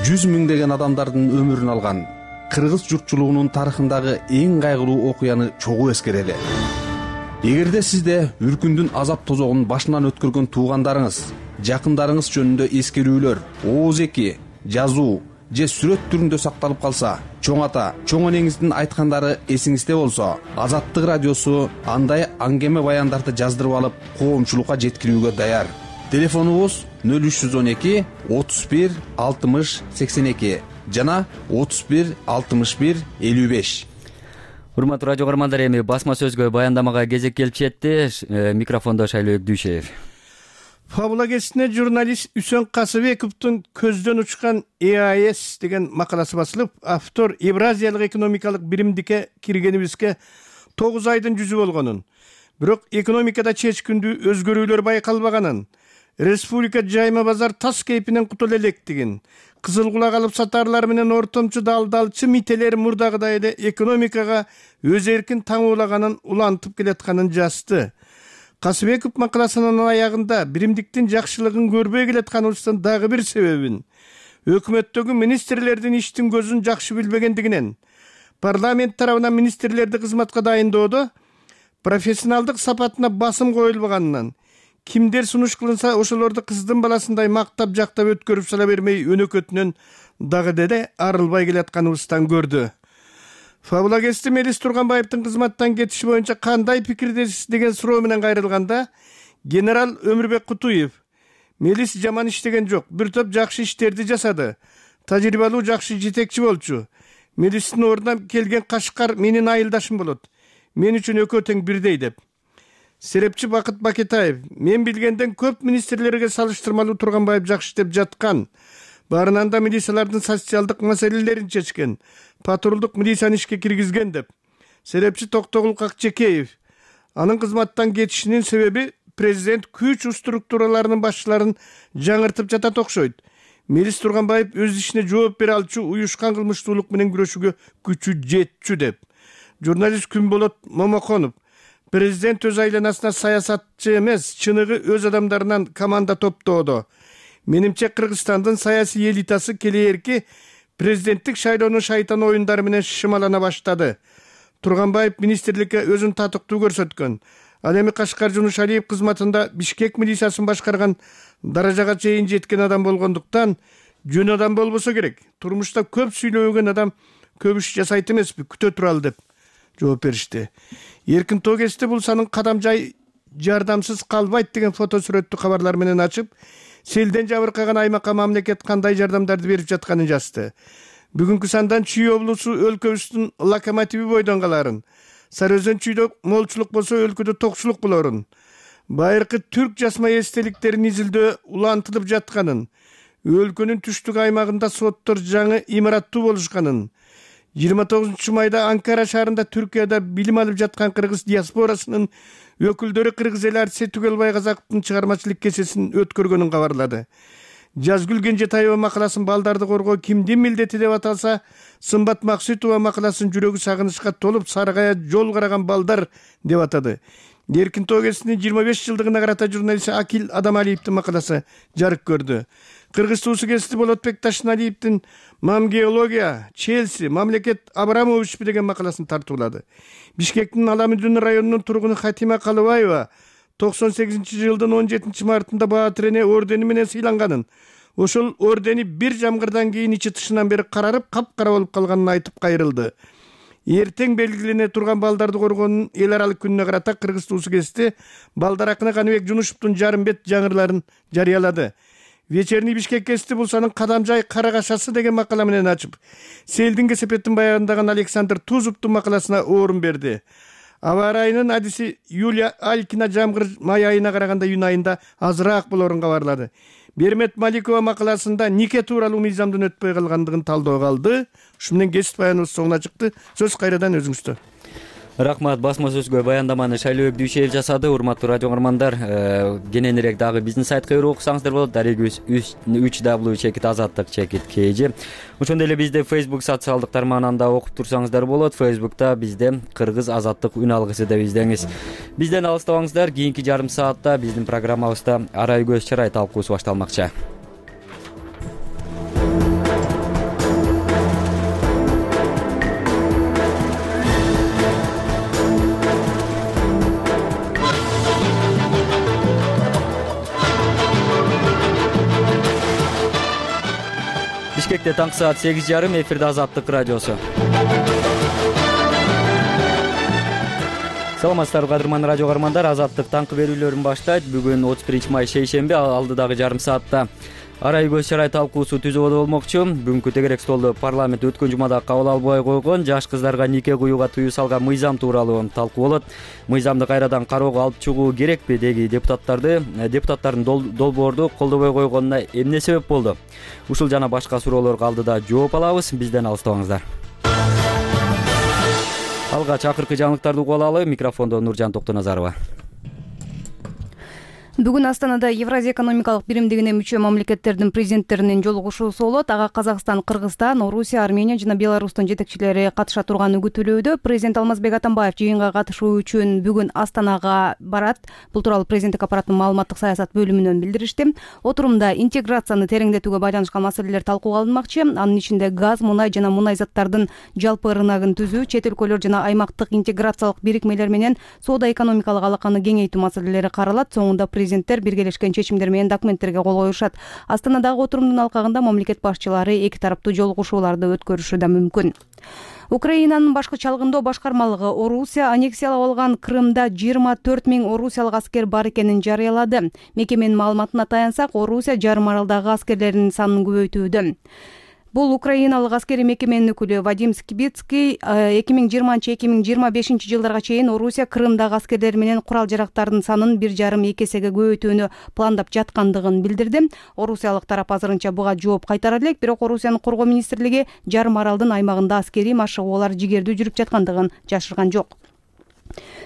Жүз миңдеген адамдардын өмүрүн алган кыргыз журтчулугунун тарыхындагы эң кайгылуу окуяны чогуу эскерели. Эгерде сизде үркүндүн азап тозогун башынан өткөргөн туугандарыңыз, жакындарыңыз жөнүндө эскерүүлөр, ооз эки, жазуу же сүрөт түрүндө сакталып калса, чоң ата, чоң энеңиздин айткандары эсиңизде болсо, Азаттык радиосу андай аңгеме баяндарды жаздырып алып, коомчулукка жеткирүүгө даяр. Телефонубуз нөл үч жүз он эки отуз бир алтымыш сексен эки жана отуз бир алтымыш бир элүү беш. Урматтуу радио көрөрмандар, эми басма сөзгө баяндамага кезек келип жетти. Микрофондо Шайлообек Дүйшеев. Фабула кесине журналист Үсөн Касыбековдун көздөн учкан Э А С деген макаласы басылып, автор Евразиялык экономикалык биримдикке киргенибизге тогуз айдын жүзү болгонун, бирок экономикада чечкиндүү өзгөрүүлөр байкалбаганын, республика жайма базар тас кейпинен кутула электигин, кызыл кулак алып сатарлар менен ортомчу далдалчы мителер мурдагыдай эле экономикага өз эркин таңуулаганын улантып келатканын жазды. Касыбеков макаласынын аягында биримдиктин жакшылыгын көрбөй келатканыбыздын дагы бир себебин өкмөттөгү министрлердин иштин көзүн жакшы билбегендигинен, парламент тарабынан министрлерди кызматка дайындоодо профессионалдык сапатына басым коюлбаганынан, кимдер сунуш кылынса ошолорду кыздын баласындай мактап жактап өткөрүп сала бермей өнөкөтүнөн дагы деле арылбай келатканыбыздан көрдү. Фабула кести Мелис Турганбаевдин кызматтан кетиши боюнча кандай пикирдесиз деген суроо менен кайрылганда, генерал Өмүрбек Кутуев: Мелис жаман иштеген жок, бир топ жакшы иштерди жасады. Тажрыйбалуу жакшы жетекчи болчу. Мелистин ордуна келген Кашкар менин айылдашым болот. Мен үчүн экөө тең бирдей деп. Серепчи Бакыт Бакетаев: мен билгенден көп министрлерге салыштырмалуу Турганбаев жакшы иштеп жаткан. Баарынан да милициялардын социалдык маселелерин чечкен, патрулдук милицияны ишке киргизген деп. Серепчи Токтогул Какчекеев: анын кызматтан кетишинин себеби президент күч структураларынын башчыларын жаңыртып жатат окшойт. Мелис Турганбаев өз ишине жооп бере алчу, уюшкан кылмыштуулук менен күрөшүүгө күчү жетчү деп. Журналист Күнболот Момоконов: президент өз айланасына саясатчы эмес, чыныгы өз адамдарынан команда топтоодо. Менимче Кыргызстандын саясий элитасы келээрки президенттик шайлоонун шайтан оюндары менен шымалана баштады. Турганбаев министрликке өзүн татыктуу көрсөткөн. Ал эми Кашкар Жунушалиев кызматында Бишкек милициясын башкарган даражага чейин жеткен адам болгондуктан жөн адам болбосо керек. Турмушта көп сүйлөгөн адам көп иш жасайт эмеспи, күтө туралы деп жооп беришти. Эркин Тогести бул санын кадам жай жардамсыз калбайт деген фото сүрөттү кабарлар менен ачып, селден жабыркаган аймакка мамлекет кандай жардамдарды берип жатканын жазды. Бүгүнкү сандан Чүй облусу өлкөбүздүн локомотиви бойдон каларын, Сары Өзөн Чүйдө молчулук болсо өлкөдө токчулук болорун, байыркы түрк жасма эстеликтерин изилдөө улантылып жатканын, өлкөнүн түштүк аймагында соттор жаңы имараттуу болушканын, жыйырма тогузунчу майда Анкара шаарында Түркияда билим алып жаткан кыргыз диаспорасынын өкүлдөрү кыргыз эл артиси Түгелбай Казаковдун чыгармачылык кесесин өткөргөнүн кабарлады. Жазгүл Кенжетаева макаласын балдарды коргоо кимдин милдети деп аталса, Сымбат Максутова макаласын жүрөгү сагынычка толуп саргая жол караган балдар деп атады. Эркин Тогестин жыйырма беш жылдыгына карата журналист Акил Адамалиевдин макаласы жарык көрдү. Кыргыз туусу кести Болотбек Ташналиевдин Мамгеология, Челси, мамлекет Абрамович деген макаласын тартуулады. Бишкектин Аламүдүн районунун тургуну Хатима Калыбаева токсон сегизинчи жылдын он жетинчи мартында Баатыр эне ордени менен сыйланганын, ошол ордени бир жамгырдан кийин ичи тышынан бери карарып, капкара болуп калганын айтып кайрылды. Эртең белгилене турган балдарды коргоонун эл аралык күнүнө карата Кыргыз туусу кести балдар акыны Каныбек Жунушевдун жарым бет жаңырларын жарыялады. Вечерний Бишкек кести бул санын кадамжай карагашасы деген макала менен ачып, селдин кесепетин баяндаган Александр Тузовдун макаласына орун берди. Аба ырайынын адиси Юлия Алькина жамгыр май айына караганда июнь айында азыраак болоорун кабарлады. Бермет Маликова макаласында нике тууралуу мыйзамдын өтпөй калгандыгын талдоого алды. Ушу менен кесип баяныбыз соңуна чыкты. Сөз кайрадан өзүңүздө. Рахмат, басма сөзгө баяндаманы Шайлообек Дүйшеев жасады. Урматтуу радио көрөрмандар, кененирээк дагы биздин сайтка кирип окусаңыздар болот. Дарегибиз үч дабл ю чекит азаттык чекит kg. Ошондой эле бизде Facebook социалдык тармагында окуп турсаңыздар болот. Facebook'та бизде Кыргыз азаттык үн алгысы деп издеңиз. Бизден алыстабаңыздар. Кийинки жарым саатта биздин программабызда арай көз чырай талкуусу башталмакчы. Бишкекте таңкы саат сегиз жарым, эфирде Азаттык радиосу. Саламатсыздарбы кадырман радио көрөрмандар, Азаттык таңкы берүүлөрүн баштайт. Бүгүн отуз биринчи май шейшемби, алдыдагы жарым саатта арай көз чырай талкуусу түзүүгө болмокчу. Бүгүнкү тегерек столдо парламент өткөн жумада кабыл албай койгон жаш кыздарга нике кууга тыюу салган мыйзам тууралуу талкуу болот. Мыйзамды кайрадан кароого алып чыгуу керекпи деги депутаттарды депутаттардын долбоорду колдобой койгонуна эмне себеп болду? Ушул жана башка суроолорго алдыда жооп алабыз. Бизден алыстабаңыздар. Алгач акыркы жаңылыктарды угуп алалы. Микрофондо Нуржан Токтоназарова. Бүгүн Астанада Евразия экономикалык биримдигине мүчө мамлекеттердин президенттеринин жолугушуусу болот. Ага Казакстан, Кыргызстан, Орусия, Армения жана Беларустун жетекчилери катыша турганы күтүлүүдө. Президент Алмазбек Атамбаев жыйынга катышуу үчүн бүгүн Астанага барат. Бул тууралуу президенттик аппараттын маалыматтык саясат бөлүмүнөн билдиришти. Отурумда интеграцияны тереңдетүүгө байланышкан маселелер талкууга алынмакчы. Анын ичинде газ, мунай жана мунай заттардын жалпы рыногун түзүү, чет өлкөлөр жана аймактык интеграциялык бирикмелер менен соода экономикалык алаканы кеңейтүү маселелери каралат. Соңунда президенттер биргелешкен чечимдер менен документтерге кол коюшат. Астанадагы отурумдун алкагында мамлекет башчылары эки тараптуу жолугушууларды өткөрүшү да мүмкүн. Украинанын башкы чалгындоо башкармалыгы Орусия аннексиялап алган Крымда жыйырма төрт миң орусиялык аскер бар экенин жарыялады. Мекеменин маалыматына таянсак, Орусия жарым аралдагы аскерлеринин санын көбөйтүүдө. Бул украиналык аскери мекеменин өкүлү Вадим Скибицкий эки миң жыйырманчы эки миң жыйырма бешинчи жылдарга чейин Орусия Крымдагы аскерлер менен курал жарактардын санын бир жарым эки эсеге көбөйтүүнү пландап жаткандыгын билдирди. Орусиялык тарап азырынча буга жооп кайтара элек, бирок Орусиянын коргоо министрлиги жарым аралдын аймагында аскерий машыгуулар жигердүү жүрүп жаткандыгын жашырган жок.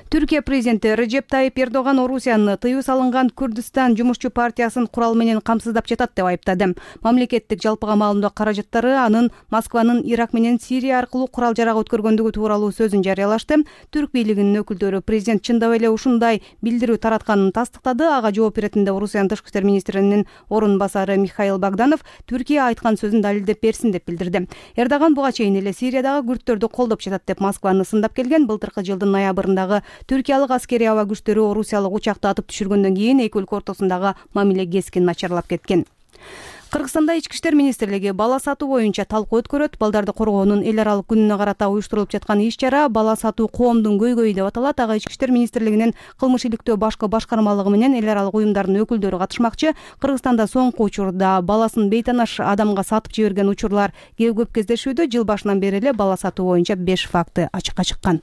Түркия президенти Режеп Тайип Эрдоган Орусияны тыюу салынган Күрдистан жумушчу партиясын курал менен камсыздап жатат деп айыптады. Мамлекеттик жалпыга маалымдоо каражаттары анын Москванын Ирак менен Сирия аркылуу курал жарак өткөргөндүгү тууралуу сөзүн жарыялашты. Түрк бийлигинин өкүлдөрү президент чындап эле ушундай билдирүү таратканын тастыктады. Ага жооп беретинде Орусиянын тышкы иштер министринин орун басары Михаил Богданов Түркия айткан сөзүн далилдеп берсин деп билдирди. Эрдоган буга чейин эле Сириядагы күрдтөрдү колдоп жатат деп Москваны сындап келген. Былтыркы жылдын ноябрындагы Түркиялык аскери аба күчтөрү Орусиялык учакты атып түшүргөндөн кийин эки өлкө ортосундагы мамиле кескин начарлап кеткен. Кыргызстанда ички иштер министрлиги бала сатуу боюнча талкуу өткөрөт. Балдарды коргоонун эл аралык күнүнө карата уюштурулуп жаткан иш-чара бала сатуу коомдун көйгөйү деп аталат. Ага ички иштер министрлигинин кылмыш иликтөө башкы башкармалыгы менен эл аралык уюмдардын өкүлдөрү катышмакчы. Кыргызстанда соңку учурда баласын бейтанаш адамга сатып жиберген учурлар көп кездешүүдө. Жыл башынан бери эле бала сатуу боюнча беш факты ачыкка чыккан.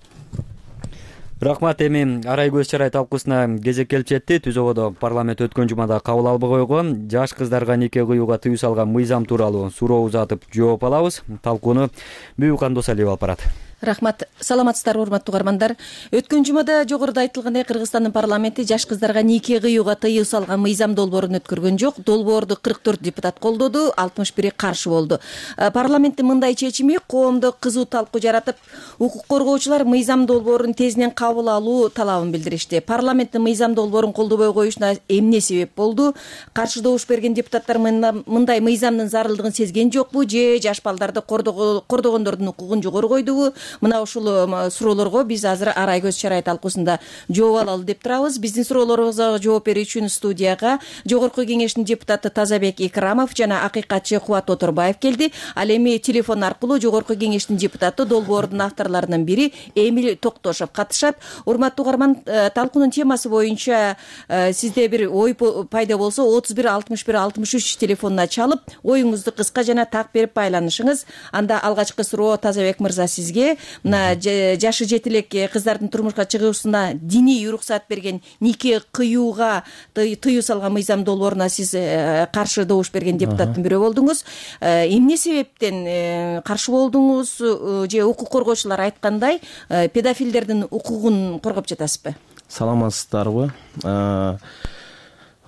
Рахмат. Эми арай көз чырай талкуусуна кезек келип жетти. Түзөгөдө парламент өткөн жумада кабыл албай койгон жаш кыздарга нике кууга тыюу салган мыйзам тууралуу суроо узатып жооп алабыз. Талкууну Бүйүкан Досалиев алып барат. Рахмат. Саламатсыздарбы, урматтуу көрөрмандар. Өткөн жумада жогоруда айтылгандай Кыргызстандын парламенти жаш кыздарга нике кыюуга тыюу салган мыйзам долбоорун өткөргөн жок. Долбоорду кырк төрт депутат колдоду, алтымыш бири каршы болду. Парламенттин мындай чечими коомдо кызуу талкуу жаратып, укук коргоочулар мыйзам долбоорун тезинен кабыл алуу талабын билдиришти. Парламенттин мыйзам долбоорун колдобой коюшуна эмне себеп болду? Каршы добуш берген депутаттар мындай мыйзамдын зарылдыгын сезген жокпу же жаш балдарды кордогондордун укугун жогору койдубу? Мына ушул суроолорго биз азыр арай көз чырай талкуусунда жооп алалы деп турабыз. Биздин суроолорубузга жооп берүү үчүн студияга Жогорку кеңештин депутаты Тазабек Икрамов жана акыйкатчы Кубат Оторбаев келди. Ал эми телефон аркылуу Жогорку кеңештин депутаты долбоордун авторлорунун бири Эмил Токтошов катышат. Урматтуу угарман, талкуунун темасы боюнча сизде бир ой пайда болсо отуз бир алтымыш бир алтымыш үч телефонуна чалып, оюңузду кыска жана так берип байланышыңыз. Анда алгачкы суроо Тазабек мырза сизге. мына жашы жете элек кыздардын турмушка чыгуусуна диний уруксат берген, нике кыюуга тыюу салган мыйзам долбооруна сиз каршы добуш берген депутаттын бирөө болдуңуз. Эмне себептен каршы болдуңуз же укук коргоочулар айткандай педофилдердин укугун коргоп жатасызбы? Саламатсыздарбы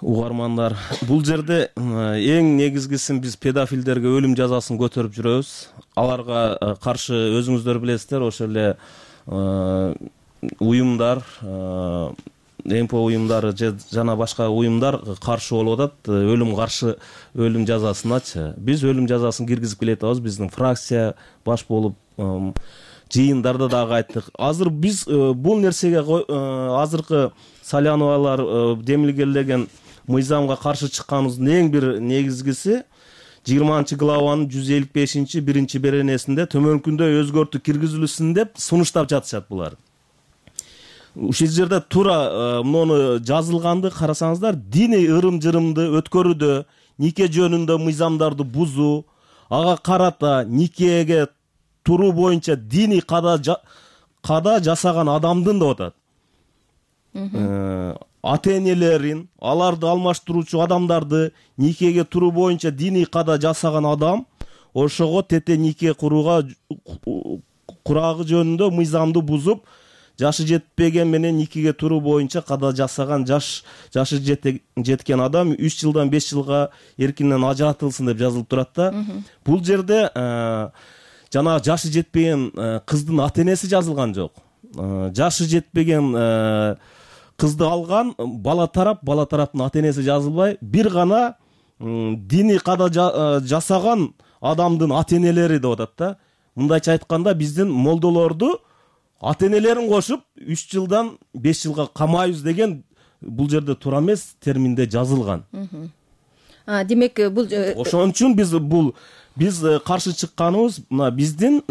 угармандар? Бул жерде эң негизгисин биз педофилдерге өлүм жазасын көтөрүп жүрөбүз. Аларга каршы өзүңүздөр билесиздер, ошол эле уюмдар, МП уюмдары жана башка уюмдар каршы болуп атат өлүм каршы өлүм жазасыначы. Биз өлүм жазасын киргизип келатабыз. Биздин фракция баш болуп жыйындарда дагы айттык. Азыр биз бул нерсеге азыркы Саляновалар демилгелеген мыйзамга каршы чыкканыбыздын эң бир негизгиси жыйырманчы главанын жүз элүү бешинчи биринчи беренесинде төмөнкүндөй өзгөртүү киргизилсин деп сунуштап жатышат булар. Ушул жерде туура муну жазылганды карасаңыздар, диний ырым-жырымды өткөрүүдө, нике жөнүндө мыйзамдарды бузуу, ага карата никеге туруу боюнча диний када када жасаган адамдын деп атат. Ата-энелерин, аларды алмаштыруучу адамдарды никеге туруу боюнча диний када жасаган адам ошого тете нике курууга курагы жөнүндө мыйзамды бузуп, жашы жетпеген менен никеге туруу боюнча када жасаган жаш жашы жеткен адам үч жылдан беш жылга эркинен ажыратылсын деп жазылып турат да. Бул жерде жана жашы жетпеген кыздын ата-энеси жазылган жок. Жашы жетпеген кызды алган бала тарап, бала тараптын ата-энеси жазылбай, бир гана диний када жасаган адамдын ата-энелери деп атат да. Мындайча айтканда, биздин молдолорду ата-энелерин кошуп үч жылдан беш жылга камайбыз деген бул жерде туура эмес терминде жазылган. Демек бул ошон үчүн биз бул биз каршы чыкканыбыз мына биздин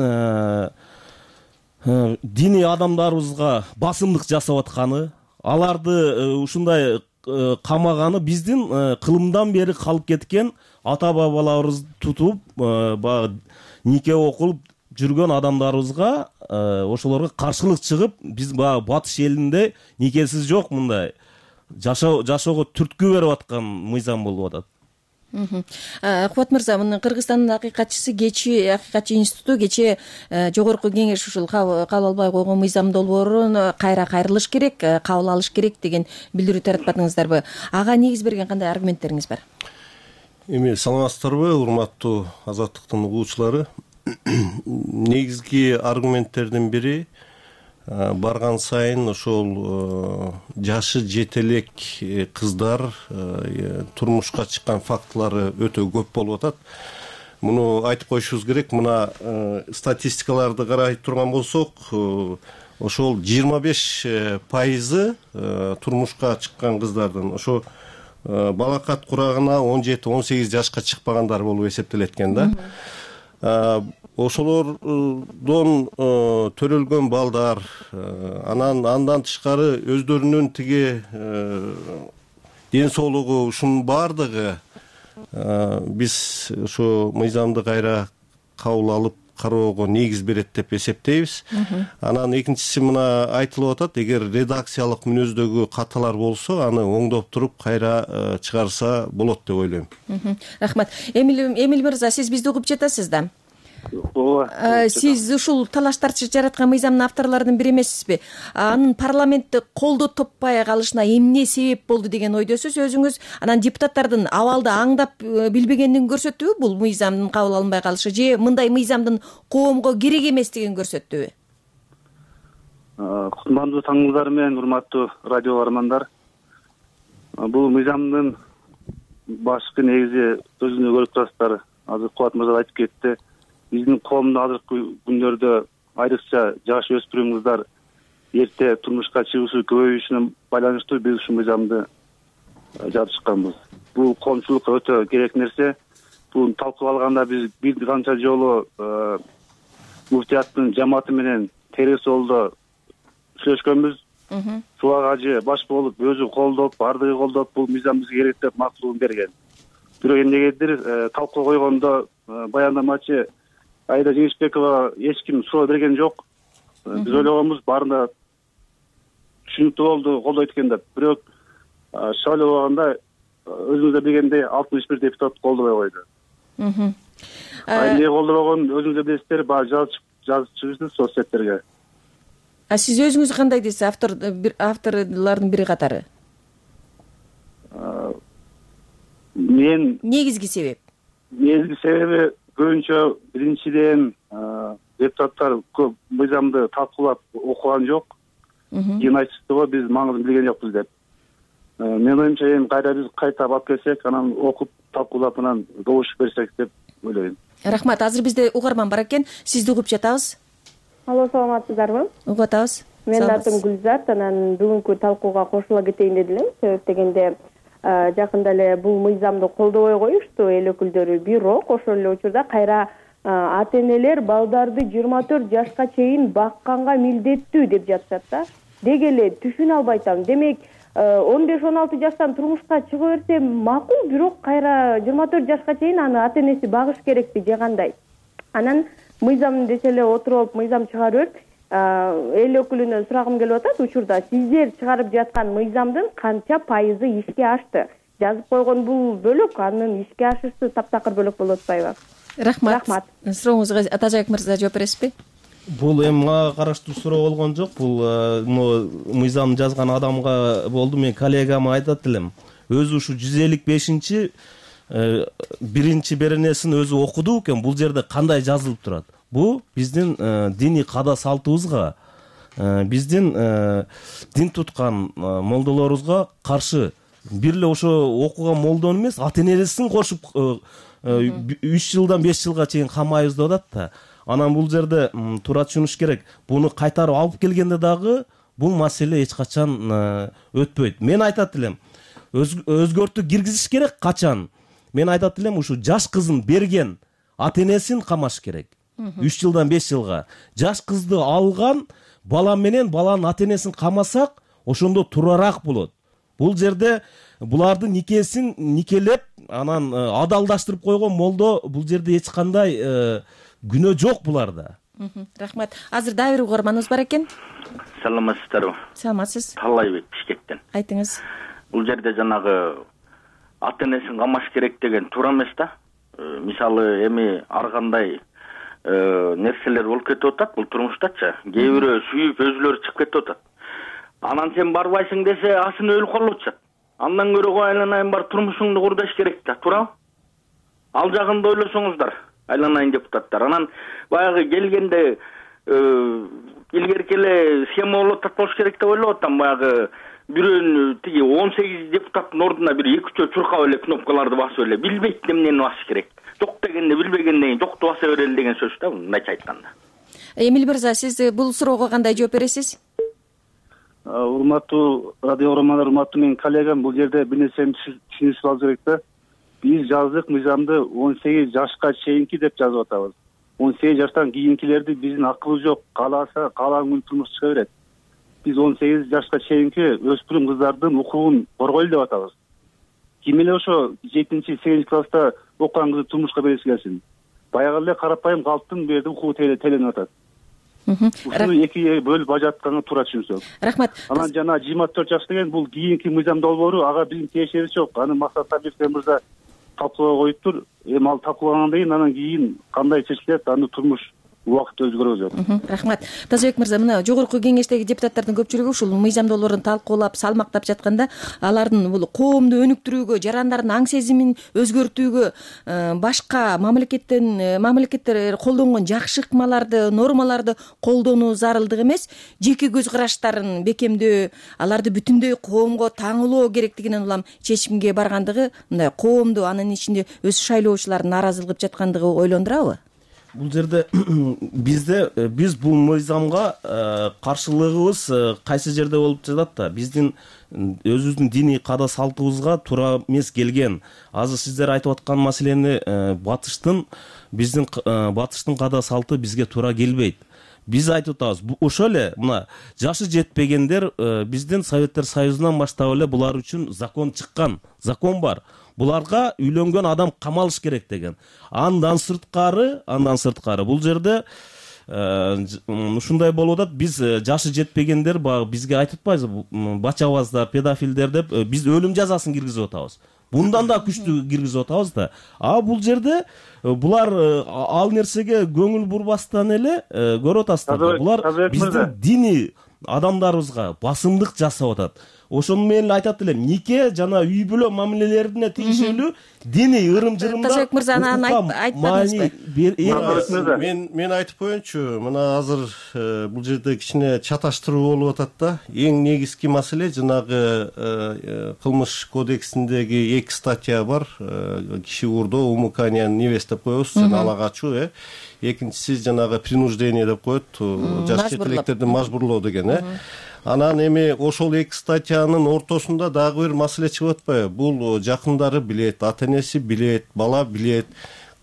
диний адамдарыбызга басымдык жасап атканы, аларды ушундай камаганы биздин кылымдан бери калып кеткен ата бабаларыбыз тутуп баягы нике окулуп жүргөн адамдарыбызга ошолорго каршылык чыгып, биз баягы батыш элинде никесиз жок мындай жашоого түрткү берип аткан мыйзам болуп атат. Кубат мырза, мына Кыргызстандын акыйкатчысы кечи акыйкатчы институту кече жогорку кеңеш ушул кабыл албай койгон мыйзам долбоорун кайра кайрылыш керек, кабыл алыш керек деген билдирүү таратпадыңыздарбы? Ага негиз берген кандай аргументтериңиз бар? Эми саламатсыздарбы, урматтуу Азаттыктын угуучулары? Негизги аргументтердин бири барган сайын ошол жашы жете элек кыздар турмушка чыккан фактылары өтө көп болуп атат. Муну айтып коюшубуз керек. Мына статистикаларды карай турган болсок, ошол жыйырма беш пайызы турмушка чыккан кыздардын ошо балакат курагына он жети он сегиз жашка чыкпагандар болуп эсептелет экен да. Ошолордон төрөлгөн балдар, анан андан тышкары өздөрүнүн тиги ден соолугу, ушунун баардыгы биз ошо мыйзамды кайра кабыл алып кароого негиз берет деп эсептейбиз. Анан экинчиси мына айтылып атат, эгер редакциялык мүнөздөгү каталар болсо, аны оңдоп туруп кайра чыгарса болот деп ойлойм. Рахмат. Эмил мырза, сиз бизди угуп жатасыз да? Сиз ушул талаш тартыш жараткан мыйзамдын авторлорунун бири эмессизби? Анын парламентте колдоо таппай калышына эмне себеп болду деген ойдосуз өзүңүз? Анан депутаттардын абалды аңдап билбегендигин көрсөттүбү бул мыйзамдын кабыл алынбай калышы, же мындай мыйзамдын коомго керек эместигин көрсөттүбү? Кутмандуу таңыңыздар менен, урматтуу радио угармандар. Бул мыйзамдын башкы негизи өзүңүздөр көрүп турасыздар. Азыр Кубат мырза айтып кетти. Биздин коомдо азыркы күндөрдө айрыкча жаш өспүрүм кыздар эрте турмушка чыгуусу көбөйүшүнө байланыштуу биз ушул мыйзамды жатышканбыз. Бул коомчулукка өтө керек нерсе. Буну талкуулап алганда биз бир канча жолу муфтияттын жамааты менен терс жолдо сүйлөшкөнбүз. Сулак ажы баш болуп, өзү колдоп, бардыгы колдоп, бул мыйзам бизге керек деп мактуулугун берген. Бирок эмнегедир талкуу койгондо баяндамачы Айда Жеңишбекова эч ким суроо берген жок. Биз ойлогонбуз баарында түшүнүктүү болду, колдойт экен деп. Бирок шайлоо убагында өзүңүздөр билгендей алтымыш бир депутат колдобой койду. Эмне колдобогон өзүңүздөр билесиздер, баары жазып жазып чыгышты соцсеттерге. А сиз өзүңүз кандай дейсиз, автор авторлордун бири катары? Мен негизги себеп? Негизги себеби көбүнчө биринчиден депутаттар көп мыйзамды талкуулап окуган жок. Кийин айтышты го биз маңызын билген жокпуз деп. Мен оюмча эми кайра биз кайта алып келсек, анан окуп талкуулап анан добуш берсек деп ойлойм. Рахмат. Азыр бизде угарман бар экен. Сизди угуп жатабыз. Алло, саламатсыздарбы? Угуп атабыз. Менин атым Гүлзат, анан бүгүнкү талкууга кошула кетейин дедим. Себеп дегенде жакында эле бул мыйзамды колдобой коюшту эл өкүлдөрү. Бирок ошол эле учурда кайра ата энелер балдарды жыйырма төрт жашка чейин бакканга милдеттүү деп жатышат да. Деги эле түшүнө албай атам. Демек он беш он алты жаштан турмушка чыга берсе макул, бирок кайра жыйырма төрт жашка чейин аны ата энеси багыш керекпи же кандай? Анан мыйзам десе эле отуруп мыйзам чыгарып эл өкүлүнөн сурагым келип атат. Учурда сиздер чыгарып жаткан мыйзамдын канча пайызы ишке ашты? Жазып койгон бул бөлөк, анын ишке ашышы таптакыр бөлөк болуп атпайбы? Рахмат. Рахмат. Сурооңузга Атажаек мырза жооп бересизби? Бул эми мага караштуу суроо болгон жок. Бул мыйзам жазган адамга болду. Мен коллегама айтат элем. Өзү ушу жүз элүү бешинчи биринчи беренесин өзү окуду экен. Бул жерде кандай жазылып турат? Бу биздин диний када салтыбызга, биздин дин туткан молдолорубузга каршы бир эле ошо окуган молдону эмес, ата энесин кошуп үч жылдан беш жылга чейин камайбыз деп атат да. Анан бул жерде туура түшүнүш керек. Буну кайтарып алып келгенде дагы бул маселе эч качан өтпөйт. Мен айтат элем, өзгөртүү киргизиш керек качан? Мен айтат элем, ушу жаш кызын берген ата энесин камаш керек. үч жылдан беш жылга. Жаш кызды алган бала менен баланын ата энесин камасак, ошондо туурараак болот. Бул жерде булардын никесин никелеп, анан адалдаштырып койгон молдо бул жерде эч кандай күнөө жок буларда. Рахмат. Азыр дагы бир угарманыбыз бар экен. Саламатсыздарбы? Саламатсыз. Талайбек Бишкектен. Айтыңыз. Бул жерде жанагы ата энесин камаш керек деген туура эмес да. Мисалы эми ар кандай нерселер болуп кетип атат бул турмуштачы. Кээ бирөө сүйүп өзүлөрү чыгып кетип атат. Анан сен барбайсың десе, асын өлүп калып атышат. Андан көрө кой айланайын бар турмушуңду кур деш керек да, туурабы? Ал жагында ойлосоңуздар, айланайын депутаттар. Анан баягы келгенде илгерки эле схема болуп атат болуш керек деп ойлоп атам. Баягы бирөөнү тиги он сегиз депутаттын ордуна бир эки үчөө чуркап эле кнопкаларды басып эле билбейт эмнени басыш керек. Жок дегенде билбегенден кийин жокту баса берели деген сөз да, мындайча айтканда. Эмил мырза, сиз бул суроого кандай жооп бересиз? Урматтуу радио угармандар, урматтуу менин коллегам, бул жерде бир нерсени түшүнүшүп алыш керек да. Биз жаздык мыйзамды он сегиз жашка чейинки деп жазып атабыз. он сегиз жаштан кийинкилерди биздин акыбыз жок, кааласа каалаган күнү турмуш чыга берет. Биз он сегиз жашка чейинки өспүрүм кыздардын укугун коргойлу деп атабыз. Ким эле ошо жетинчи сегизинчи класста окуган кызды турмушка бериси келсин. Баягы эле карапайым калктын бу жерде укугу теленип атат. Ушуну экиге бөлүп ажыратканга туура түшүнсөк. Рахмат. Анан жана жыйырма төрт жаш деген бул кийинки мыйзам долбоору, ага биздин тиешебиз жок. Аны Максат Сабирович мырза талкуулоого коюптур. Эми ал талкуулагандан кийин анан кийин кандай чечилет, аны турмуш убакытта өзгөрөт. Рахмат. Тазабек мырза, мына жогорку кеңештеги депутаттардын көпчүлүгү ушул мыйзам долбоорун талкуулап, салмактап жатканда алардын бул коомду өнүктүрүүгө, жарандардын аң сезимин өзгөртүүгө, башка мамлекеттен мамлекеттер колдонгон жакшы ыкмаларды, нормаларды колдонуу зарылдык эмес, жеке көз караштарын бекемдөө, аларды бүтүндөй коомго таңылоо керектигинен улам чечимге баргандыгы мындай коомду, анын ичинде өз шайлоочулардын нааразылык жаткандыгы ойлондурабы? Бул жерде бизде биз бул мыйзамга каршылыгыбыз кайсы жерде болуп жатат да, биздин өзүбүздүн диний када салтыбызга туура эмес келген. Азыр сиздер айтып аткан маселени батыштын биздин батыштын када салты бизге туура келбейт. Биз айтып атабыз, ошол эле мына жашы жетпегендер биздин Советтер Союзунан баштап эле булар үчүн закон чыккан, закон бар. Буларга үйлөнгөн адам камалыш керек деген. Андан сырткары, андан сырткары бул жерде ушундай болуп атат. Биз жашы жетпегендер баягы бизге айтып атпайбызбы, бачабаздар, педофилдер деп биз өлүм жазасын киргизип атабыз. Bundan da күчтүү киргизип атабыз да. А бул жерде булар ал нерсеге көңүл бурбастан эле көрүп атасыздар. Булар биздин диний адамдарыбызга басымдык жасап атат. Ошону мен айтат элем, нике жана үй бүлө мамилелерине тийиштүү диний ырым-жырымдар. Тажабек мырза анан айтпадыңызбы? Мен мен айтып коеюнчу, мына азыр бул жерде кичине чаташтыруу болуп атат да. Эң негизги маселе жанагы кылмыш кодексиндеги эки статья бар. Киши уурдоо, умыкание, невест деп коебуз, ала качуу, э. Экинчиси жанагы принуждение деп коет, жаш четелектерди мажбурлоо деген, э. Анан эми ошол эки статьянын ортосунда дагы бир маселе чыгып атпайбы? Бул жакындары билет, ата-энеси билет, бала билет.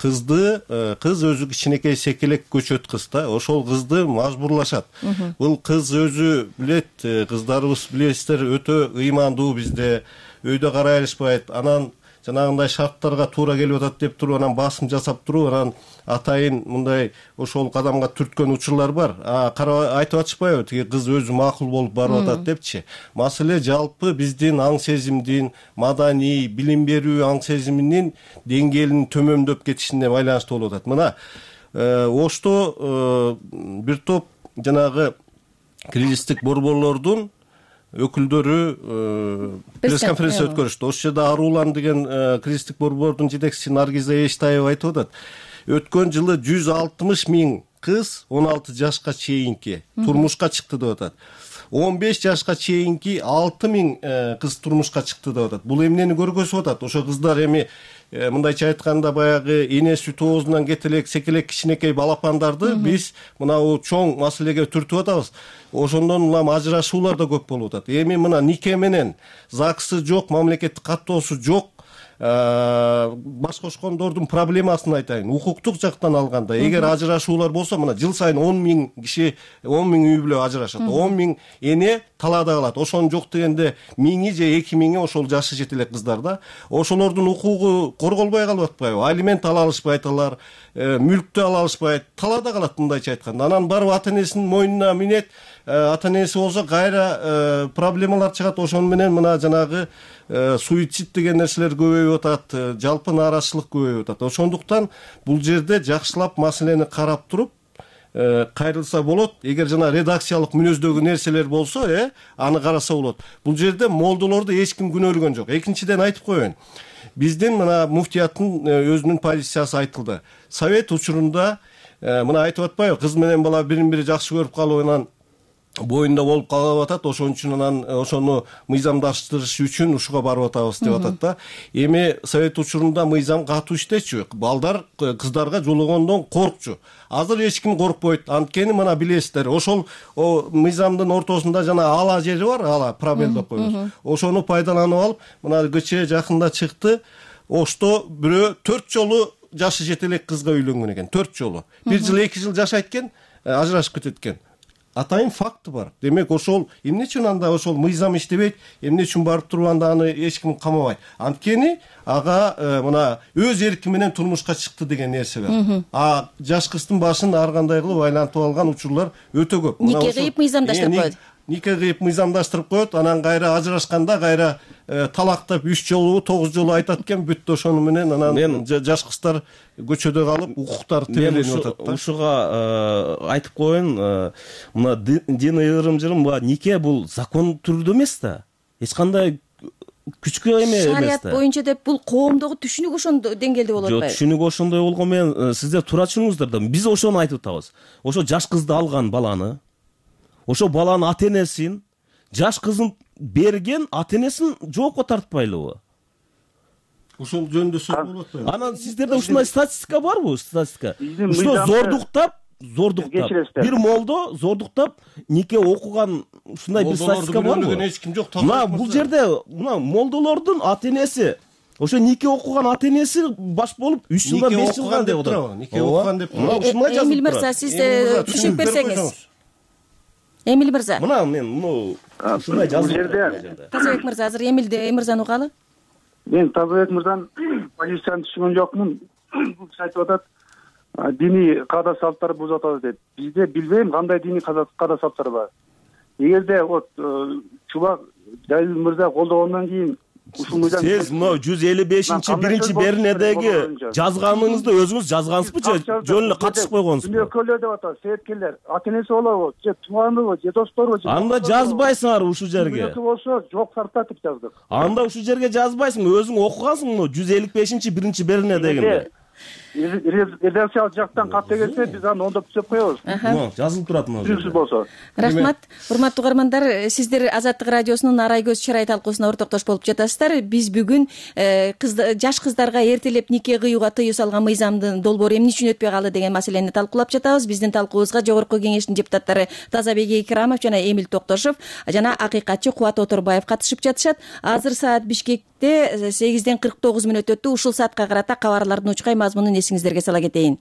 Кызды, кыз өзү кичинекей секелек көчөт кыз да, ошол кызды мажбурлашат. Бул кыз өзү билет, кыздарыбыз билесиздер, өтө ыймандуу бизде, өйдө карай алышпайт. Анан жанагындай шарттарга туура келип атат деп туруп, анан басым жасап туруп, анан атайын мындай ошол кадамга түрткөн учурлар бар. А карап айтып атышпайбы, тиги кыз өзү макул болуп барып атат депчи. Маселе жалпы биздин аң сезимдин, маданий, билим берүү аң сезиминин деңгээлинин төмөндөп кетишине байланыштуу болуп атат. Мына Ошто бир топ жанагы кризистик борборлордун өкүлдөрү пресс-конференция өткөрүштү. Ошол жерде Арулан деген кризистик борбордун жетекчиси Наргиза Эштаева айтып атат. Өткөн жылы жүз алтымыш миң кыз он алты жашка чейинки турмушка чыкты деп атат. он беш жашка чейинки алты миң кыз турмушка чыкты деп атат. Бул эмнени көргөзүп атат? Ошо кыздар эми мындайча айтканда баягы эне сүт оозунан кетелек секелек кичинекей балапандарды биз мынау чоң маселеге түртүп атабыз. Ошондон улам ажырашуулар да көп болуп атат. Эми мына нике менен ЗАГСы жок, мамлекеттик каттоосу жок. Баш кошкондордун проблемасын айтайын. Укуктук жактан алганда, эгер ажырашуулар болсо, мына жыл сайын он миң киши, он миң үй бүлө ажырашат. он миң эне талаада калат. Ошон жок дегенде миңи же эки миңи ошол жашы жетелек кыздар да. Ошолордун укугу корголбой калып атпайбы? Алимент ала алышпайт алар, мүлктү ала алышпайт, талаада калат мындайча айтканда. Анан барып ата-энесинин мойнуна минет, ата-энеси болсо кайра проблемалар чыгат. Ошон менен мына жанагы суицид деген нерселер көбөйүп атат, жалпы нааразычылык көбөйүп атат. Ошондуктан бул жерде жакшылап маселени карап туруп кайрылса болот. Эгер жана редакциялык мүнөздөгү нерселер болсо, э, аны караса болот. Бул жерде молдолорду эч ким күнөөлөгөн жок. Экинчиден айтып коеюн. Биздин мына муфтияттын өзүнүн позициясы айтылды. Совет учурунда мына айтып атпайбы, кыз менен бала бирин-бири жакшы көрүп калып, анан боюнда болуп калып атат, ошон үчүн анан ошону мыйзамдаштырыш үчүн ушуга барып атабыз деп атат да. Эми совет учурунда мыйзам катуу иштечү. Балдар кыздарга жологондон коркчу. Азыр эч ким коркпойт. Анткени мына билесиздер, ошол мыйзамдын ортосунда жана ала жери бар, ала пробел деп коебуз. Ошону пайдаланып алып, мына кечээ жакында чыкты. Ошто бирөө төрт жолу жашы жетелек кызга үйлөнгөн экен, төрт жолу. Бир жыл, эки жыл жашайт экен, ажырашып кетет экен. Атайын факты бар. Демек ошол эмне үчүн анда ошол мыйзам иштебейт, эмне үчүн барып туруп анда аны эч ким камабайт? Анткени ага мына өз эрки менен турмушка чыкты деген нерсе бар. А жаш кыздын башын ар кандай кылып айлантып алган учурлар өтө көп. Нике кыйып мыйзамдаштырып коет. Нике кыйып мыйзамдаштырып коет, анан кайра ажырашканда кайра талактап үч жолу, тогуз жолу айтат экен, бүттү ошону менен анан жаш кыздар көчөдө калып, укуктары тиреленип атат да. Ушуга айтып коеюн, мына диний ырым-жырым, нике бул закон түрүндө эмес да. Эч кандай күчкө эме эмес да. Шарият боюнча деп бул коомдогу түшүнүк ошондой деңгээлде болот атпайбы? Жок, түшүнүк ошондой болгон менен сиздер туура түшүнүңүздөр да. Биз ошону айтып атабыз. Ошо жаш кызды алган баланы, ошо баланын ата-энесин, жаш кызын берген ата-энесин жоопко тартпайлыбы? Ошол жөнүндө сөз болуп атпайбы? Анан сиздерде ушундай статистика барбы? Статистика. Ушул зордуктап, зордуктап, бир молдо зордуктап нике окуган ушундай бир статистика барбы? Эч ким жок. Мына бул жерде мына молдолордун ата-энеси, ошо нике окуган ата-энеси баш болуп үч жылдан беш жылга деп атат. Нике окуган деп турат. Эмил мырза, сиз түшүнүп берсеңиз. Эмил мырза. Мына мен муну ушундай жазып жерде. Тазабек мырза, азыр Эмилди, Эмил мырзаны угалы. Мен Тазабек мырзанын позициясын түшүнгөн жокмун. Бул киши айтып атат, диний каада салттар бузуп атат деп. Бизде билбейм кандай диний каада салттар бар. Эгерде вот Чубак Жалил мырза колдогондон кийин сиз мына жүз элүү бешинчи биринчи бернедеги жазганыңызды өзүңүз жазгансызбы же жөн эле катышып койгонсузбу? Күнөөкөрлөр деп атат, себепкерлер, ата энеси болобу, же тууганыбы, же досторбу? Анда жазбайсыңар ушул жерге. Күнөөкө болсо жок сартат деп жаздык. Анда ушул жерге жазбайсың, өзүң окугансың муну жүз элүү бешинчи биринчи бернедегинде. Редакциялык жактан кат келсе биз аны оңдоп түзөп коебуз. Жазылып турат мына. Түзүксүз болсо. Рахмат. Урматтуу угармандар, сиздер Азаттык радиосунун Арай көз чырай талкуусуна ортоктош болуп жатасыздар. Биз бүгүн жаш кыздарга эртелеп нике кыюуга тыюу салган мыйзамдын долбоору эмне үчүн өтпөй калды деген маселени талкуулап жатабыз. Биздин талкуубузга Жогорку Кеңештин депутаттары Тазабек Экрамов жана Эмил Токтошов жана акыйкатчы Кубат Оторбаев катышып жатышат. Азыр саат Бишкекте сегизден кырк тогуз мүнөт өттү. Ушул саатка карата кабарлардын учкай мазмунун эсиңиздерге сала кетейин.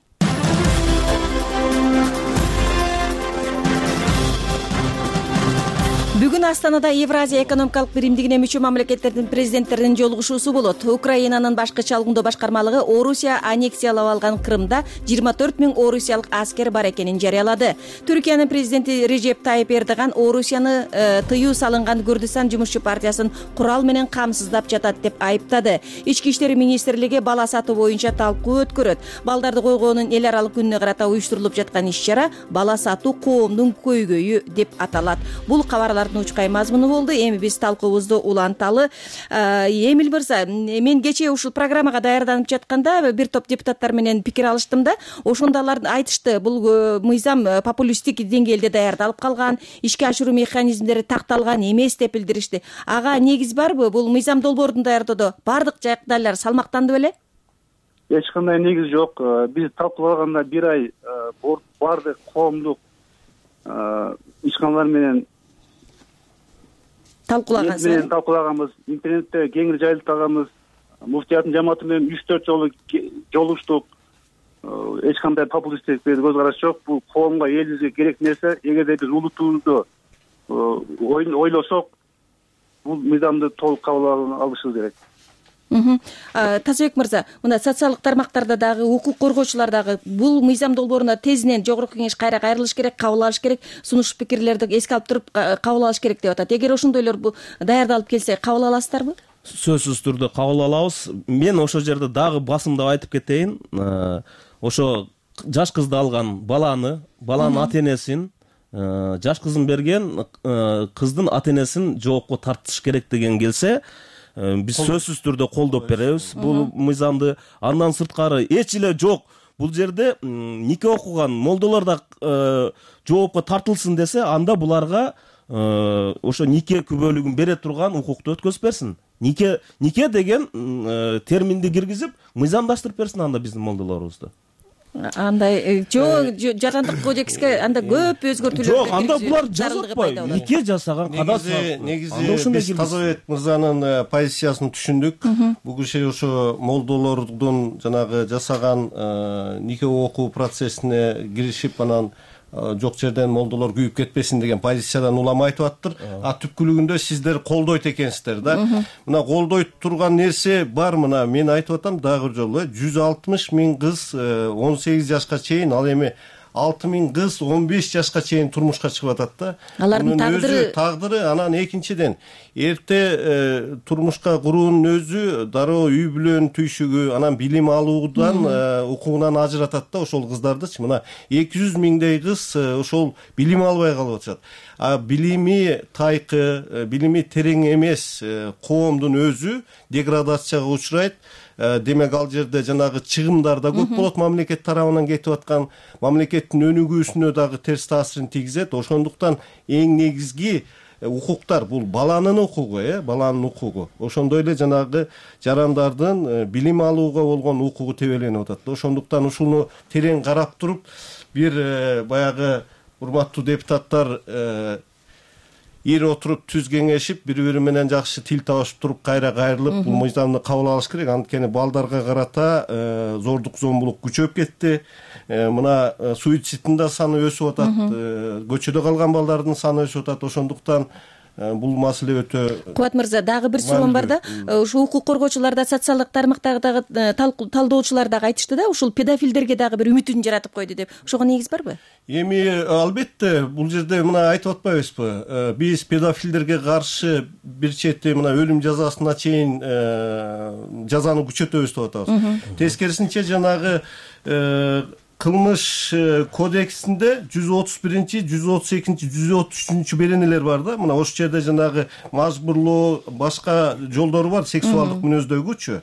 Бүгүн Астанада Евразия экономикалык биримдигине мүчө мамлекеттердин президенттеринин жолугушуусу болот. Украинанын башкы чалгындоо башкармалыгы Орусия аннексиялап алган Крымда жыйырма төрт миң орусиялык аскер бар экенин жарыялады. Түркиянын президенти Режеп Тайип Эрдоган Орусияны э, тыюу салынган Күрдистан жумушчу партиясын курал менен камсыздап жатат деп айыптады. Ички иштер министрлиги бала сатуу боюнча талкуу өткөрөт. Балдарды койгоонун эл аралык күнүнө карата уюштурулуп жаткан иш-чара бала сатуу коомдун көйгөйү деп аталат. Бул кабарлар учкай мазмуну болду. Эми биз талкуубузду уланталы. Эмил мырза, мен кечээ ушул программага даярданып жатканда бир топ депутаттар менен пикир алыштым да, ошондо алар айтышты, бул мыйзам популисттик деңгээлде даярдалып калган, ишке ашыруу механизмдери такталган эмес деп билдиришти. Ага негиз барбы? Бул мыйзам долбоорун даярдоодо бардык жагдайлар салмактанды беле? Эч кандай негиз жок. Биз талкуулаганда бир ай бардык коомдук ишканалар менен талкуулагансыз. Менен талкуулаганбыз, интернетте кеңири жайылтаганбыз. Муфтияттын жамааты менен үч төрт жолу жолугуштук. Эч кандай популисттик көз караш жок. Бул коомго, элибизге керек нерсе. Эгерде биз улутубузду ойлосок, бул мыйзамды толук кабыл алышыбыз керек. Тазабек мырза, мына социалдык тармактарда дагы укук коргоочулар дагы бул мыйзам долбооруна тезинен Жогорку Кеңеш кайра кайрылыш керек, кабыл алыш керек, сунуш пикирлерди эске алып туруп кабыл алыш керек деп атат. Эгер ошондойлор даярдалып келсе, кабыл аласыздарбы? Сөзсүз түрдө кабыл алабыз. Мен ошол жерде дагы басымдап айтып кетейин. Ошо жаш кызды алган баланы, баланын ата энесин, жаш кызын берген кыздын ата энесин жоопко тартыш керек деген келсе, биз сөзсүз түрдө колдоп беребиз бул мыйзамды. Андан сырткары эч эле жок. Бул жерде нике окуган молдолор да жоопко тартылсын десе, анда буларга ошо нике күбөлүгүн бере турган укукту өткөзүп берсин. Нике нике деген терминди киргизип, мыйзамдаштырып берсин анда биздин молдолорубузду. Андай жок, Жарандык кодекске анда көп өзгөртүүлөр. Жок, анда булар жазылбай, нике жасаган кадасы. Негизи биз Тазабек мырзанын позициясын түшүндүк. Бул киши ошо молдолордун жанагы жасаган нике окуу процессине киришип, анан жок жерден молдолор күйүп кетпесин деген позициядан улам айтып аттыр. А түпкүлүгүндө сиздер колдойт экенсиздер да. Мына колдой турган нерсе бар. Мына мен айтып атам дагы бир жолу, жүз алтымыш миң кыз он сегиз жашка чейин, ал эми алты миң кыз он беш жашка чейин турмушка чыгып атат да. Алардын тагдыры тагдыры анан экинчиден эрте турмушка куруунун өзү дароо үй бүлөнүн түйшүгү, анан билим алуудан укугунан ажыратат да ошол кыздардычы. Мына эки жүз миңдей кыз ошол билим албай калып атышат. А билими тайкы, билими терең эмес коомдун өзү деградацияга учурайт. Демек ал жерде жанагы чыгымдар да көп болот, мамлекет тарабынан кетип аткан, мамлекеттин өнүгүүсүнө дагы терс таасирин тийгизет. Ошондуктан эң негизги укуктар бул баланын укугу, э, баланын укугу. Ошондой эле жанагы жарандардын билим алууга болгон укугу тебеленип атат. Ошондуктан ушуну терең карап туруп, бир баягы урматтуу депутаттар ир отуруп түз кеңешип, бири-бири менен жакшы тил табышып туруп, кайра кайрылып, бул мыйзамды кабыл алыш керек. Анткени балдарга карата зордук зомбулук күчөп кетти. Мына суицидтин да саны өсүп атат, көчөдө калган балдардын саны өсүп атат. Ошондуктан бул маселе өтө. Кубат мырза, дагы бир суроом бар да. Ушу укук коргоочулар да, социалдык тармактагы талдоочулар дагы айтышты да, ушул педофилдерге дагы бир үмүтүн жаратып койду деп. Ошого негиз барбы? Эми албетте бул жерде мына айтып атпайбызбы? Биз педофилдерге каршы бир чети мына өлүм жазасына чейин жазаны күчөтөбүз деп атабыз. Тескерисинче жанагы кылмыш кодексинде жүз отуз биринчи, жүз отуз экинчи, жүз отуз үчүнчү беренелер бар да. Мына ошол жерде жанагы мажбурлоо, башка жолдору бар, сексуалдык мүнөздөгүчү.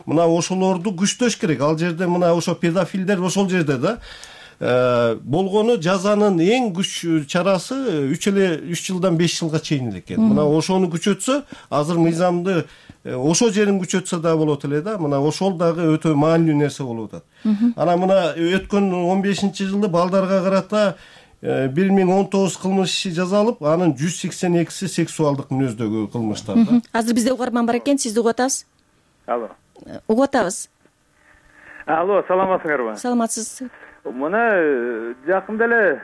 Мына ошолорду күчтөш керек. Ал жерде мына ошо педофилдер ошол жерде да. Болгону жазанын эң күч чарасы үч эле үч жылдан беш жылга чейин экен. Мына ошону күчөтсө, азыр мыйзамды ошол жерин күчөтсө да болот эле да. Мына ошол дагы өтө маанилүү нерсе болуп атат. Анан мына өткөн он бешинчи жылы балдарга карата бир миң он тогуз кылмыш иши жазалып, анын жүз сексен экиси сексуалдык мүнөздөгү кылмыштар да. Азыр бизде угарман бар экен, сизди угуп атабыз. Алло. Угуп атабыз. Алло, саламатсыңарбы? Саламатсыз. Мына жакында эле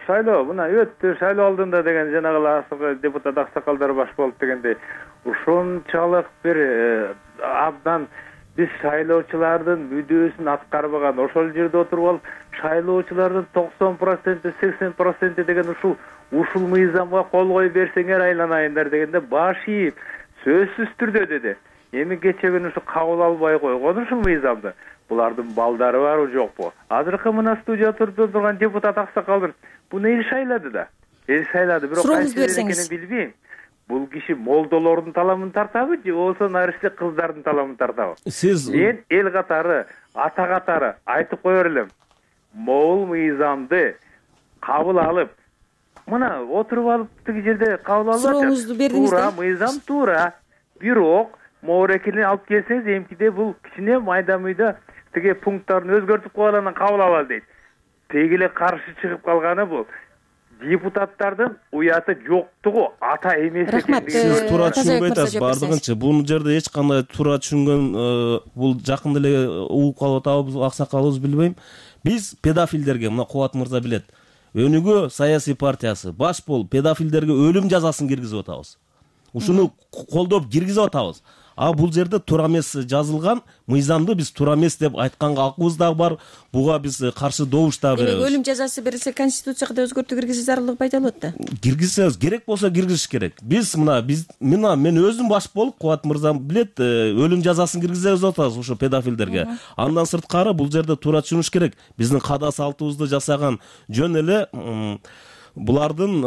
шайлоо, мына өттү, шайлоо алдында деген жанагы депутат аксакалдар баш болуп дегенде, ушунчалык бир абдан биз шайлоочулардын мүдөөсүн аткарбаган, ошол жерде отуруп алып, шайлоочулардын токсон проценти, сексен проценти деген ушул ушул мыйзамга кол коюп берсеңер айланайындар дегенде баш ийип, сөзсүз түрдө деди. Эми кече күнү ушу кабыл албай койгон ушул мыйзамды. Булардын балдары барбы жокпу? Азыркы мына студия турдуп турган депутат аксакалдын буну эл шайлады да. Эл шайлады, бирок кайсы экенин билбейм. Бул киши молдолордун таламын тартабы же болбосо нарышты кыздардын таламын тартабы? Сиз мен эл катары, ата катары айтып коер элем. Могул мыйзамды кабыл алып, мына отуруп алып тиги жерде кабыл алып, сурооңузду бердиңиз да. Туура мыйзам туура. Бирок моорекилин алып келсеңиз, эмкиде бул кичине майда-мүйда тиги пункттарын өзгөртүп коюп анан кабыл алалы дейт. Теги эле каршы чыгып калганы бул депутаттардын уяты жоктугу, ата эмес экендиги. Сиз туура түшүнбөй атасыз бардыгынча. Бул жерде эч кандай туура түшүнгөн, бул жакында эле угуп калып атабыз, аксакалыбыз билбейм. Биз педофилдерге, мына Кубат мырза билет, Өнүгүү саясий партиясы баш болуп педофилдерге өлүм жазасын киргизип атабыз. Ушуну колдоп киргизип атабыз. А бул жерде туура эмес жазылган мыйзамды биз туура эмес деп айтканга акыбыз дагы бар. Буга биз каршы добуш да беребиз. Өлүм жазасы берилсе конституцияга да өзгөртүү киргизүү зарылыгы пайда болот да. Киргизсеңиз керек болсо киргизиш керек. Биз мына биз мына мен өзүм баш болуп, Кубат мырзам билет, өлүм жазасын киргизебиз атабыз ошо педофилдерге. Андан сырткары бул жерде туура түшүнүш керек. Биздин када салтыбызды жасаган жөн эле булардын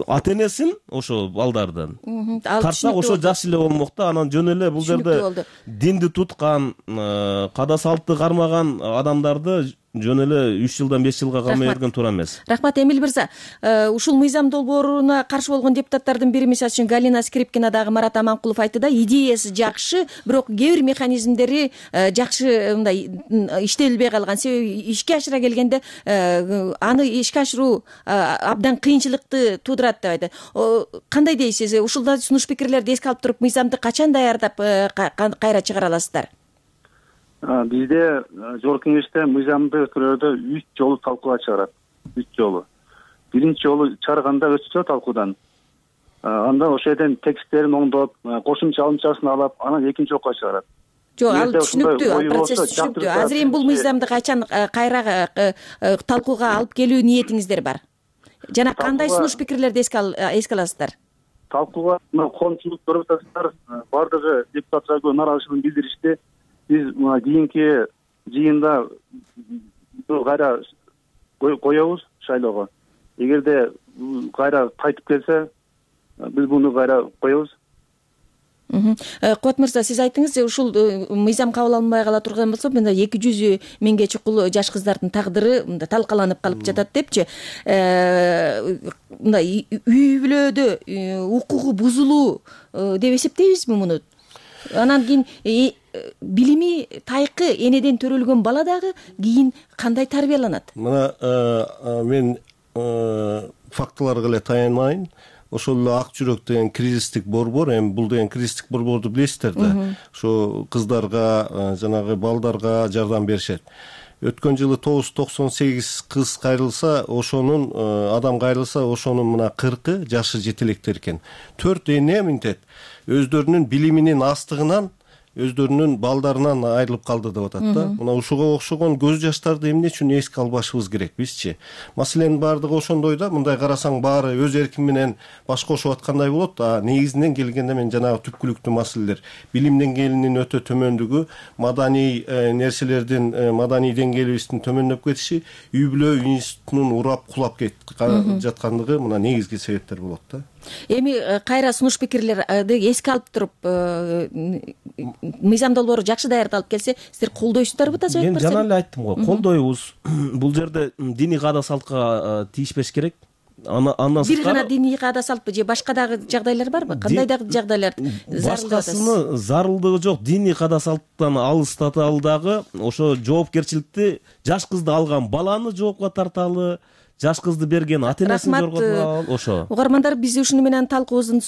ата энесин ошо балдардын тартсак ошо жакшы эле болмок да. Анан жөн эле бул жерде динди туткан, када салтты кармаган адамдарды жөн эле үч жылдан беш жылга камай берген туура эмес. Рахмат Эмил мырза. Ушул мыйзам долбооруна каршы болгон депутаттардын бири, мисалы үчүн Галина Скрипкина дагы Марат Аманкулов айтты да, идеясы жакшы, бирок кээ бир механизмдери жакшы мындай иштелбей калган. Себеби ишке ашыра келгенде аны ишке ашыруу абдан кыйынчылыкты туудурат деп айтты. Кандай дейсиз? Ушулда сунуш пикирлерди эске алып туруп мыйзамды качан даярдап кайра чыгара аласыздар? Бизде жогорку кеңеште мыйзамды өткөрүүдө үч жолу талкууга чыгарат. үч жолу. Биринчи жолу чыгарганда өтсө талкуудан. Анда ошол жерден тексттерин оңдоп, кошумча алымчасын алып, анан экинчи окуга чыгарат. Жок, ал түшүнүктүү, процесс түшүнүктүү. Азыр эми бул мыйзамды качан кайра талкууга алып келүү ниетиңиздер бар? Жана кандай сунуш пикирлерди эске аласыздар? Талкууга коомчулук көрүп атасыздар, бардыгы депутаттар нааразычылыгын билдиришти. Биз мына кийинки жыйында кайра коебуз шайлоого. Эгерде кайра кайтып келсе, биз буну кайра коебуз. Кубат мырза, сиз айттыңыз, ушул мыйзам кабыл алынбай кала турган болсо, мында эки жүз миңге чукул жаш кыздардын тагдыры мында талкаланып калып жатат депчи. Мындай үй бүлөдө укугу бузулуу деп эсептейбизби муну? Анан кийин билими тайкы энеден төрөлгөн бала дагы кийин кандай тарбияланат? Мына мен фактыларга эле таянайын. Ошол эле Ак жүрөк деген кризистик борбор, эми бул деген кризистик борборду билесиздер да. Ошо кыздарга, жанагы балдарга жардам беришет. өткөн жылы тогуз жүз токсон сегиз кыз кайрылса, ошонун адам кайрылса, ошонун мына кыркы жашы жете электер экен. Төрт эне мынтет өздөрүнүн билиминин астыгынан, өздөрүнүн балдарынан айрылып калды деп атат да. Мына ушуга окшогон көз жаштарды эмне үчүн эске албашыбыз керек бизчи? Маселенин баардыгы ошондой да. Мындай карасаң баары өз эркин менен баш кошуп аткандай болот. А негизинен келгенде мен жанагы түпкүлүктүү маселелер, билим деңгээлинин өтө төмөндүгү, маданий нерселердин, маданий деңгээлибиздин төмөндөп кетиши, үй бүлө институтунун урап кулап кетип жаткандыгы мына негизги себептер болот да. Эми кайра сунуш пикирлерди эске алып туруп, мыйзам долбоору жакшы даярдалып келсе, сиздер колдойсуздарбы да? Мен жана эле айттым го, колдойбуз. Бул жерде диний каада салтка тийишпеш керек. Андан бир гана диний каада салтпы же башка дагы жагдайлар барбы? Кандай дагы жагдайлар зарыл? Башкасыны зарылдыгы жок. Диний каада салттан алыстаталы дагы, ошо жоопкерчиликти жаш кызды алган баланы жоопко тарталы, жаш кызды берген ата энесин жоопко тарталы, ошо. Угармандар, биз ушуну менен талкуубуздун